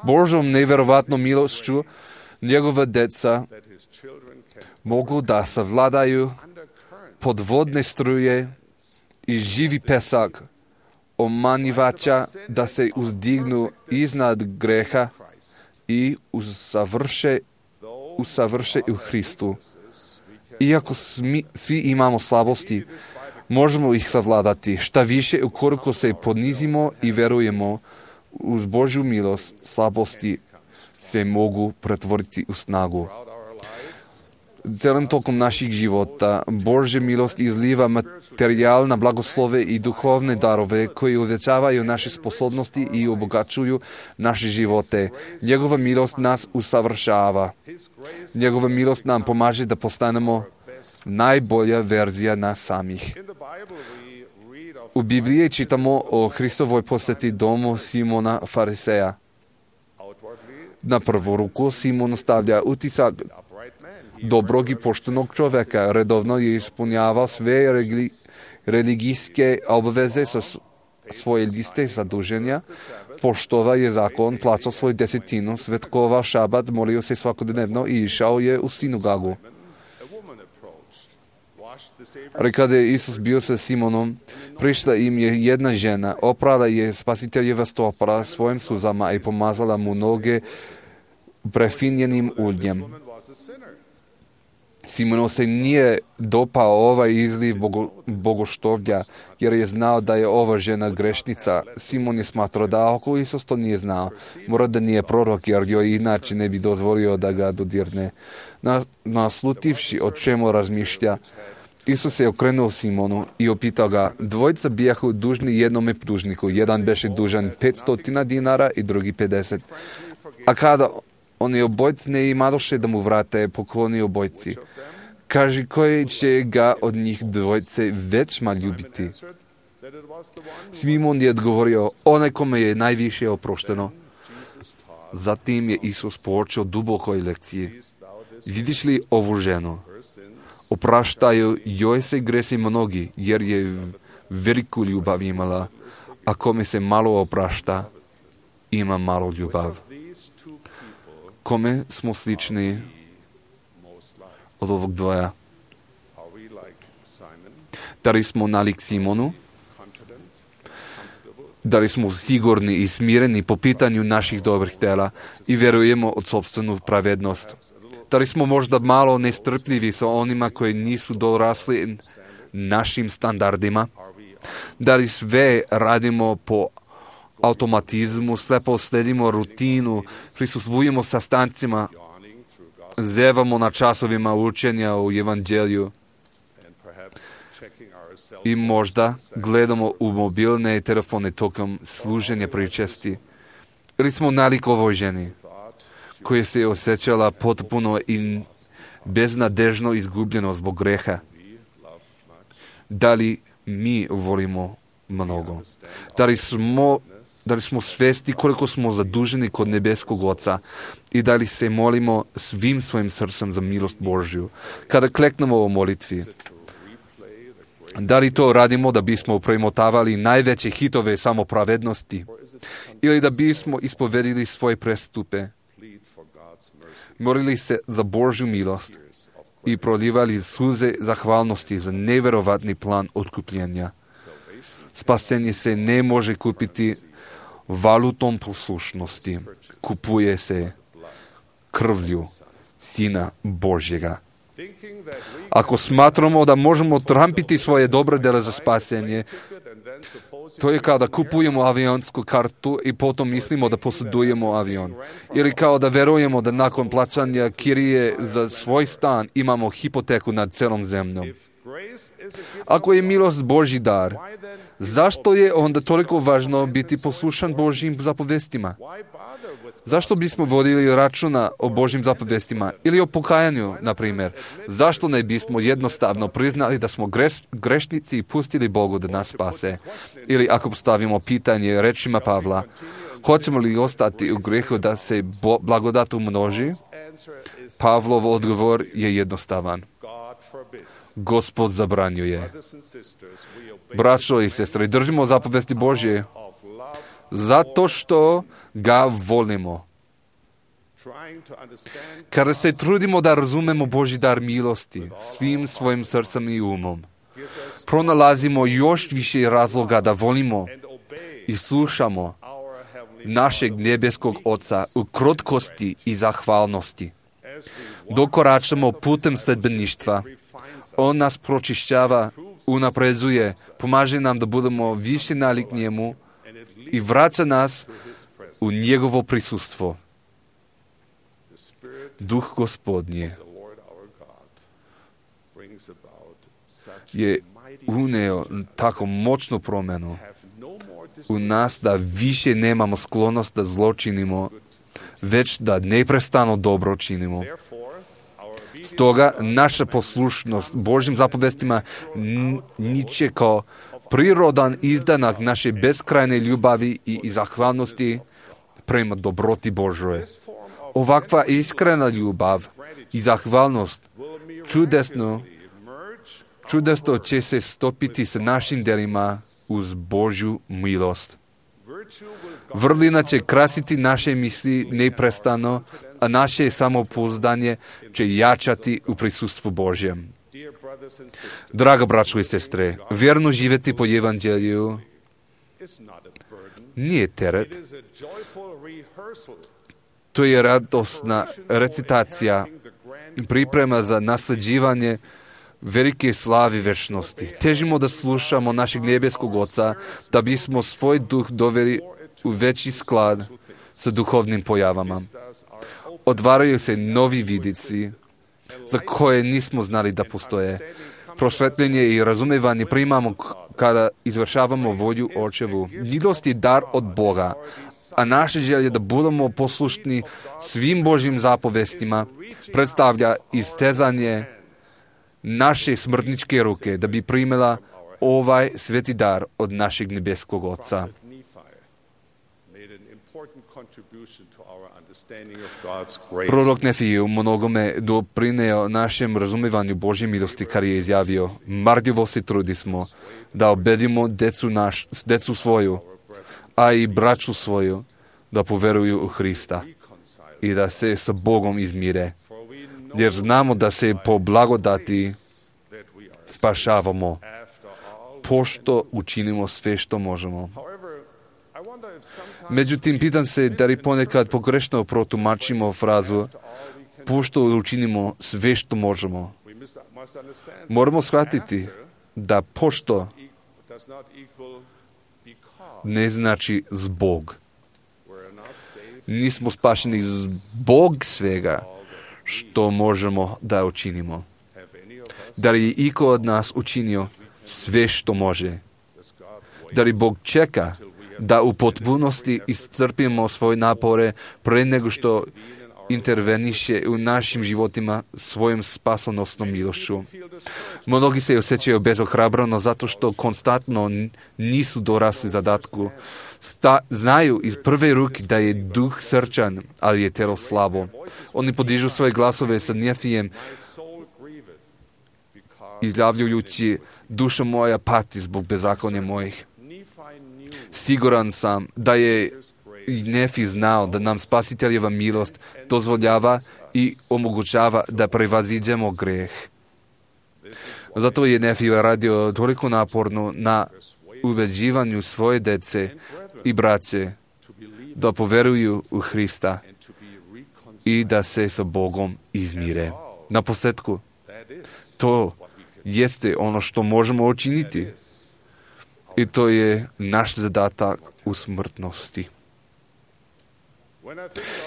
Božom nevjerovatnom milošću njegova deca mogu da savladaju podvodne struje i živi pesak omanivača, da se uzdignu iznad greha i usavrše, usavrše u Hristu. Iako smi, svi imamo slabosti, možemo ih savladati. Šta više, ukoliko se ponizimo i verujemo uz Božju milost, slabosti se mogu pretvoriti u snagu. Celim tokom naših života Božja milost izliva materijalne blagoslove i duhovne darove koji uvećavaju naše sposobnosti i obogaćuju naše živote. Njegova milost nas usavršava. Njegova milost nam pomaže da postanemo najbolja verzija nas samih. U Bibliji čitamo o Hristovoj posjeti domu Simona Fariseja. Na prvu ruku Simon ostavlja utisak dobrog i poštenog čovjeka. Redovno je ispunjavao sve regli, religijske obveze sa svoje liste zaduženja, poštovao je zakon, plaćao svoju desetinu, svetkovao šabat, molio se svakodnevno i išao je u sinagogu. Ali kada je Isus bio sa Simonom, prišla im je jedna žena, oprala je Spasiteljeva stopala svojim suzama i pomazala mu noge prefinjenim uljem. Simonu se nije dopao ovaj izliv bogo, bogoštovlja, jer je znao da je ova žena grešnica. Simon je smatrao da ako Isus to nije znao, mora da nije prorok, jer joj inače ne bi dozvolio da ga dodirne. Naslutivši o čemu razmišlja, Isus se okrenuo Simonu i opitao ga, dvojica bijahu dužni jednome dužniku, jedan beše dužan petsto dinara i drugi pedeset. A kada oni obojci ne imadoše da mu vrate, pokloni obojci. Kaži, koji će ga od njih dvojce većma ljubiti? Simon je odgovorio, onaj kome je najviše oprošteno. Zatim je Isus poučio dubokoj lekciji. Vidiš li ovu ženu? Opraštaju joj se gresi mnogi, jer je veliku ljubav imala, a kome se malo oprašta, ima malo ljubav. Kome smo slični od ovog dvoja? Da li smo nalik Simonu? Da li smo sigurni i smireni po pitanju naših dobrih dela i vjerujemo od sopstvenu pravednost? Da li smo možda malo nestrpljivi sa onima koji nisu dorasli našim standardima? Da li sve radimo po automatizmu, slepo sledimo rutinu, prisustvujemo sastancima, zevamo na časovima učenja u evanđelju i možda gledamo u mobilne telefone tokom služenja pričesti. Ili smo nalik ovoj ženi koja se osjećala potpuno i beznadežno izgubljeno zbog greha. Da li mi volimo mnogo? Da li smo Da li smo svesti koliko smo zaduženi kod nebeskog Oca i da li se molimo svim svojim srcem za milost Božju kada kleknemo u molitvi? Da li to radimo da bismo premotavali najveće hitove samopravednosti ili da bismo ispovedili svoje prestupe, molili se za Božju milost i prolivali suze zahvalnosti za nevjerovatni plan otkupljenja? Spasenje se ne može kupiti valutom poslušnosti. Kupuje se krvlju Sina Božjega. Ako smatramo da možemo trampiti svoje dobre dele za spasenje, to je kao da kupujemo avionsku kartu i potom mislimo da posjedujemo avion. Ili kao da verujemo da nakon plaćanja kirije za svoj stan imamo hipoteku nad celom zemljom. Ako je milost Božji dar, zašto je onda toliko važno biti poslušan Božjim zapovestima? Zašto bismo vodili računa o Božjim zapovestima ili o pokajanju, na primjer? Zašto ne bismo jednostavno priznali da smo greš, grešnici i pustili Bogu da nas spase? Ili ako postavimo pitanje rečima Pavla, hoćemo li ostati u grijehu da se bo, blagodat umnoži? Pavlov odgovor je jednostavan. Gospod zabranjuje. Braćo i sestre, držimo zapovesti Božje zato što ga volimo. Kada se trudimo da razumemo Božji dar milosti svim svojim srcem i umom, pronalazimo još više razloga da volimo i slušamo našeg nebeskog Oca u krotkosti i zahvalnosti. Dokoračamo putem sledbeništva. On nas pročišćava, unapredzuje, pomaže nam da budemo više nalik njemu i vraća nas u njegovo prisustvo. Duh Gospodnje je uneo tako moćnu promjenu u nas da više nemamo sklonost da zlo činimo, već da neprestano dobro činimo. Stoga naša poslušnost Božjim zapovestima niče kao prirodan izdanak naše beskrajne ljubavi i zahvalnosti prema dobroti Božoj. Ovakva iskrena ljubav i zahvalnost čudesno, čudesno će se stopiti sa našim delima uz Božju milost. Vrlina će krasiti naše misli neprestano, a naše samopouzdanje će jačati u prisustvu Božjem. Draga braćo i sestre, vjerno živjeti po evanđelju nije teret. To je radosna recitacija, priprema za nasljeđivanje velike slavi večnosti. Težimo da slušamo našeg nebeskog Oca, da bismo svoj duh doveli u veći sklad sa duhovnim pojavama. Odvaraju se novi vidici za koje nismo znali da postoje. Prosvetljenje i razumevanje primamo kada izvršavamo volju Očevu. Milost je dar od Boga, a naše želje da budemo poslušni svim Božjim zapovestima predstavlja istezanje naše smrtničke ruke da bi primila ovaj sveti dar od našeg nebeskog Oca. Prorok Nefije u mnogome doprineo našem razumevanju Božje milosti kad je izjavio: marljivo se trudismo da ubedimo decu, naš, decu svoju, a i braću svoju da poveruju u Hrista i da se sa Bogom izmire, jer znamo da se po blagodati spašavamo, pošto učinimo sve što možemo. Međutim, pitam se da li ponekad pogrešno protumačimo frazu pošto učinimo sve što možemo. Moramo shvatiti da pošto ne znači zbog. Nismo spašeni zbog svega što možemo da učinimo. Da li je iko od nas učinio sve što može? Da li Bog čeka da u potpunosti iscrpimo svoje napore pre nego što interveniše u našim životima svojom spasonosnom milošću? Mnogi se osjećaju bezohrabrano zato što konstantno nisu dorasli zadatku. Sta, znaju iz prve ruke da je duh srčan, ali je telo slabo. Oni podižu svoje glasove sa Nefijem, izjavljujući: duša moja pati zbog bezakonja mojih. Siguran sam da je Nefi znao da nam Spasiteljeva milost dozvoljava i omogućava da prevaziđemo greh. Zato je Nefi radio toliko naporno na ubeđivanju svoje dece i braće da poveruju u Hrista i da se sa Bogom izmire. Na posljedku, to jeste ono što možemo učiniti. I to je naš zadatak u smrtnosti.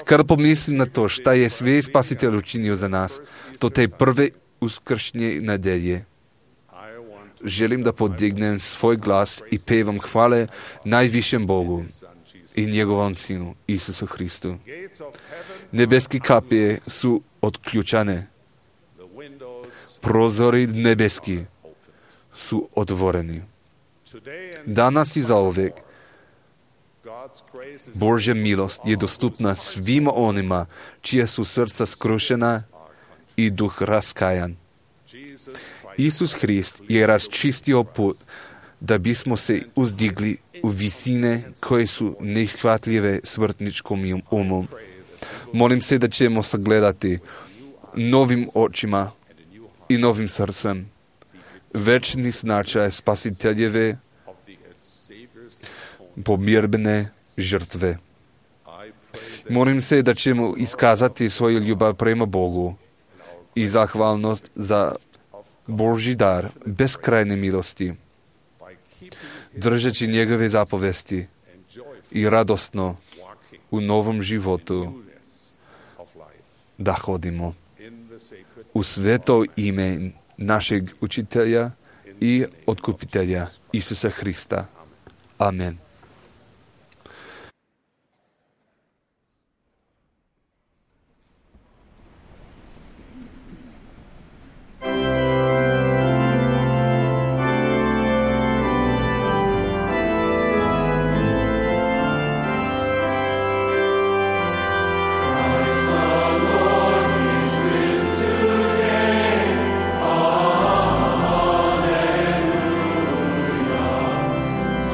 Kada pomislim na to šta je sve Spasitelj učinio za nas, to te prve uskršnje nedelje, želim da podignem svoj glas i pevam hvale najvišem Bogu i njegovom Sinu, Isusu Hristu. Nebeske kapije su otključane. Prozori nebeski su otvoreni. Danas i zauvek Božja milost je dostupna svima onima čija su srca skrušena i duh raskajan. Isus Hrist je raščistio put da bismo se uzdigli u visine koje su nehvatljive smrtničkom umom. Molim se da ćemo sagledati novim očima i novim srcem večni značaj Spasiteljeve pomirbene žrtve. Molim se da ćemo iskazati svoju ljubav prema Bogu i zahvalnost za Božji dar beskrajne milosti, držeći njegove zapovesti i radosno u novom životu da hodimo. U sveto ime našeg učitelja i otkupitelja Isusa Hrista. Amen.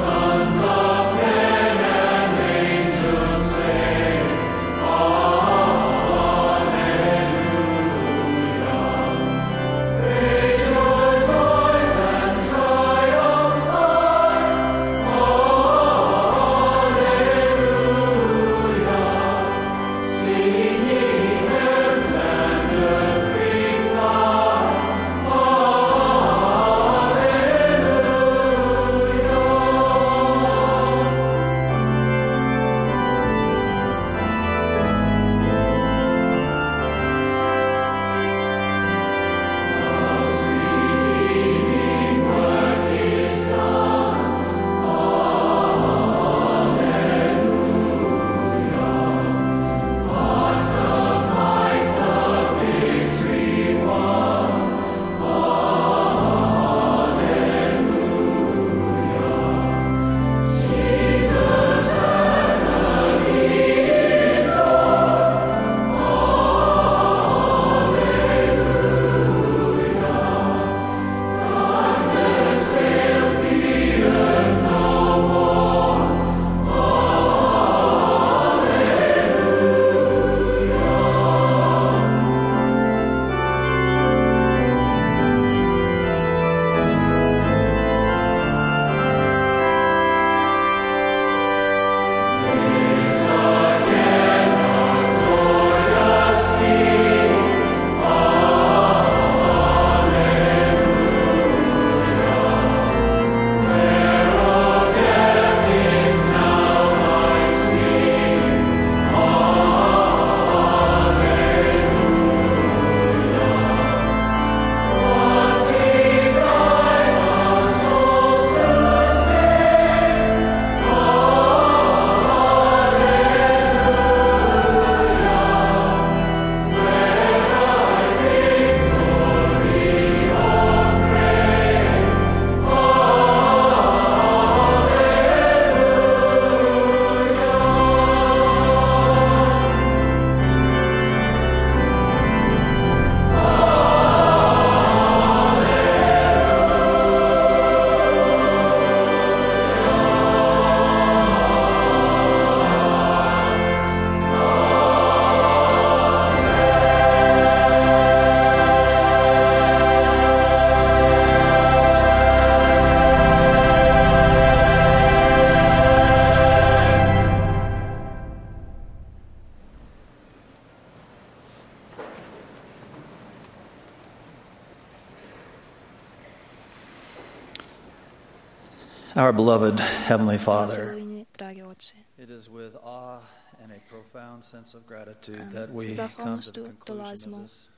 Sons of Our beloved Heavenly Father, Milujni, dragi Oče, it is with awe and a profound sense of gratitude um, that we s come to zahvalnošću the conclusion dolazimo of this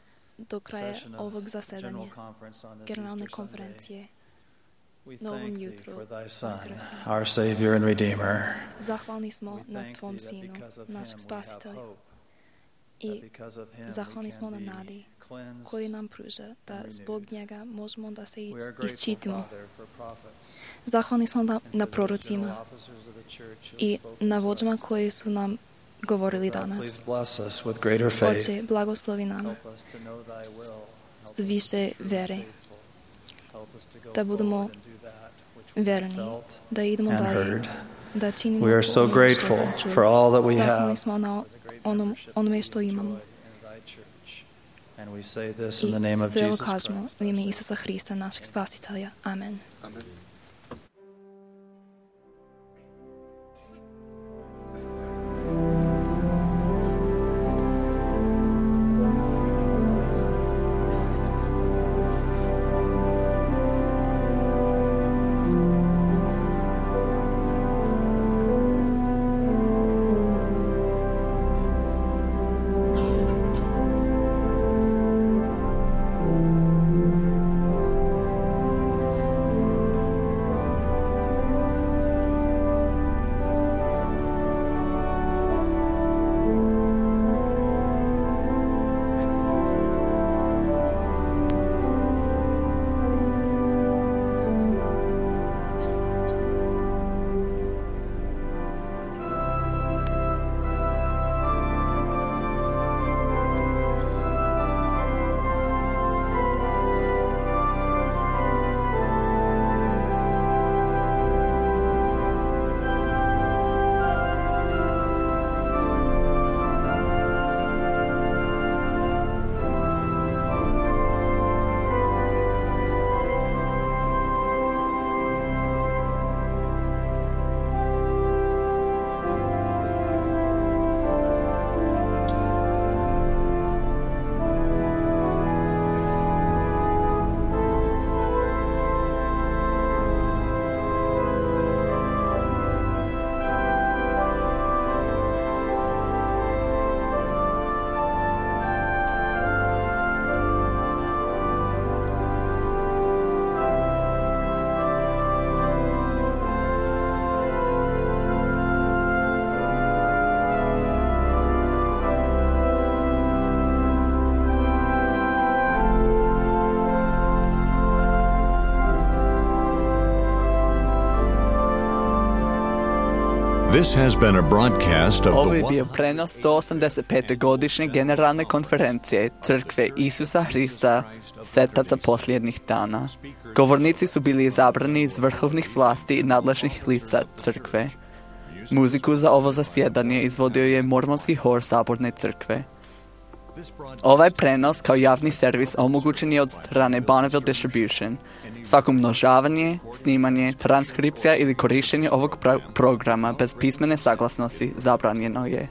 do kraja session ovog of zasedanja General Conference on this generalne Easter Sunday. konferencije We na ovom thank Thee jutru for Thy Son, Vaskrsnom. our Savior and Redeemer. Zahvalni smo We na thank Tvom Thee that Sinu, because of našeg Him we Spasitelja. have hope, I that because of Him we zahvalni can smo na be nadi cleansed koji nam pruža da and zbog renewed. njega možemo da se We are is- grateful, isčitimo. Father, for prophets Zahvalni smo na, and na for those prorocima general officers of the church who have i spoken na to us vođama today. koji su nam govorili God, danas. please bless us with greater faith. Oče, blagoslovi nama Help us to know Thy will. Help us s više to be true and vere, faithful. Help us to go da budemo forward and do that which we verni, felt da idemo and dalje, heard. da činimo We are so ono što grateful smo čuli. for all that we Zahvalni have, smo na for the great onom, membership onome that što we imamo. enjoy in Thy church. And we say this in the I name of sve ovo Jesus kažemo Christ. u ime Isusa Hrista, našeg Spasitelja. Amen. Amen. This has been a broadcast of Ovo the je bio prenos sto osamdeset pete godišnje generalne konferencije Crkve Isusa Hrista, svetaca posljednjih dana. Govornici su bili izabrani iz vrhovnih vlasti i nadležnih lica Crkve. Muziku za ovo zasjedanje izvodio je Mormonski hor Saborne crkve. Ovaj prenos kao javni servis omogućen je od strane Bonneville Distribution. Svako umnožavanje, snimanje, transkripcija ili korištenje ovog pro- programa bez pismene saglasnosti zabranjeno je.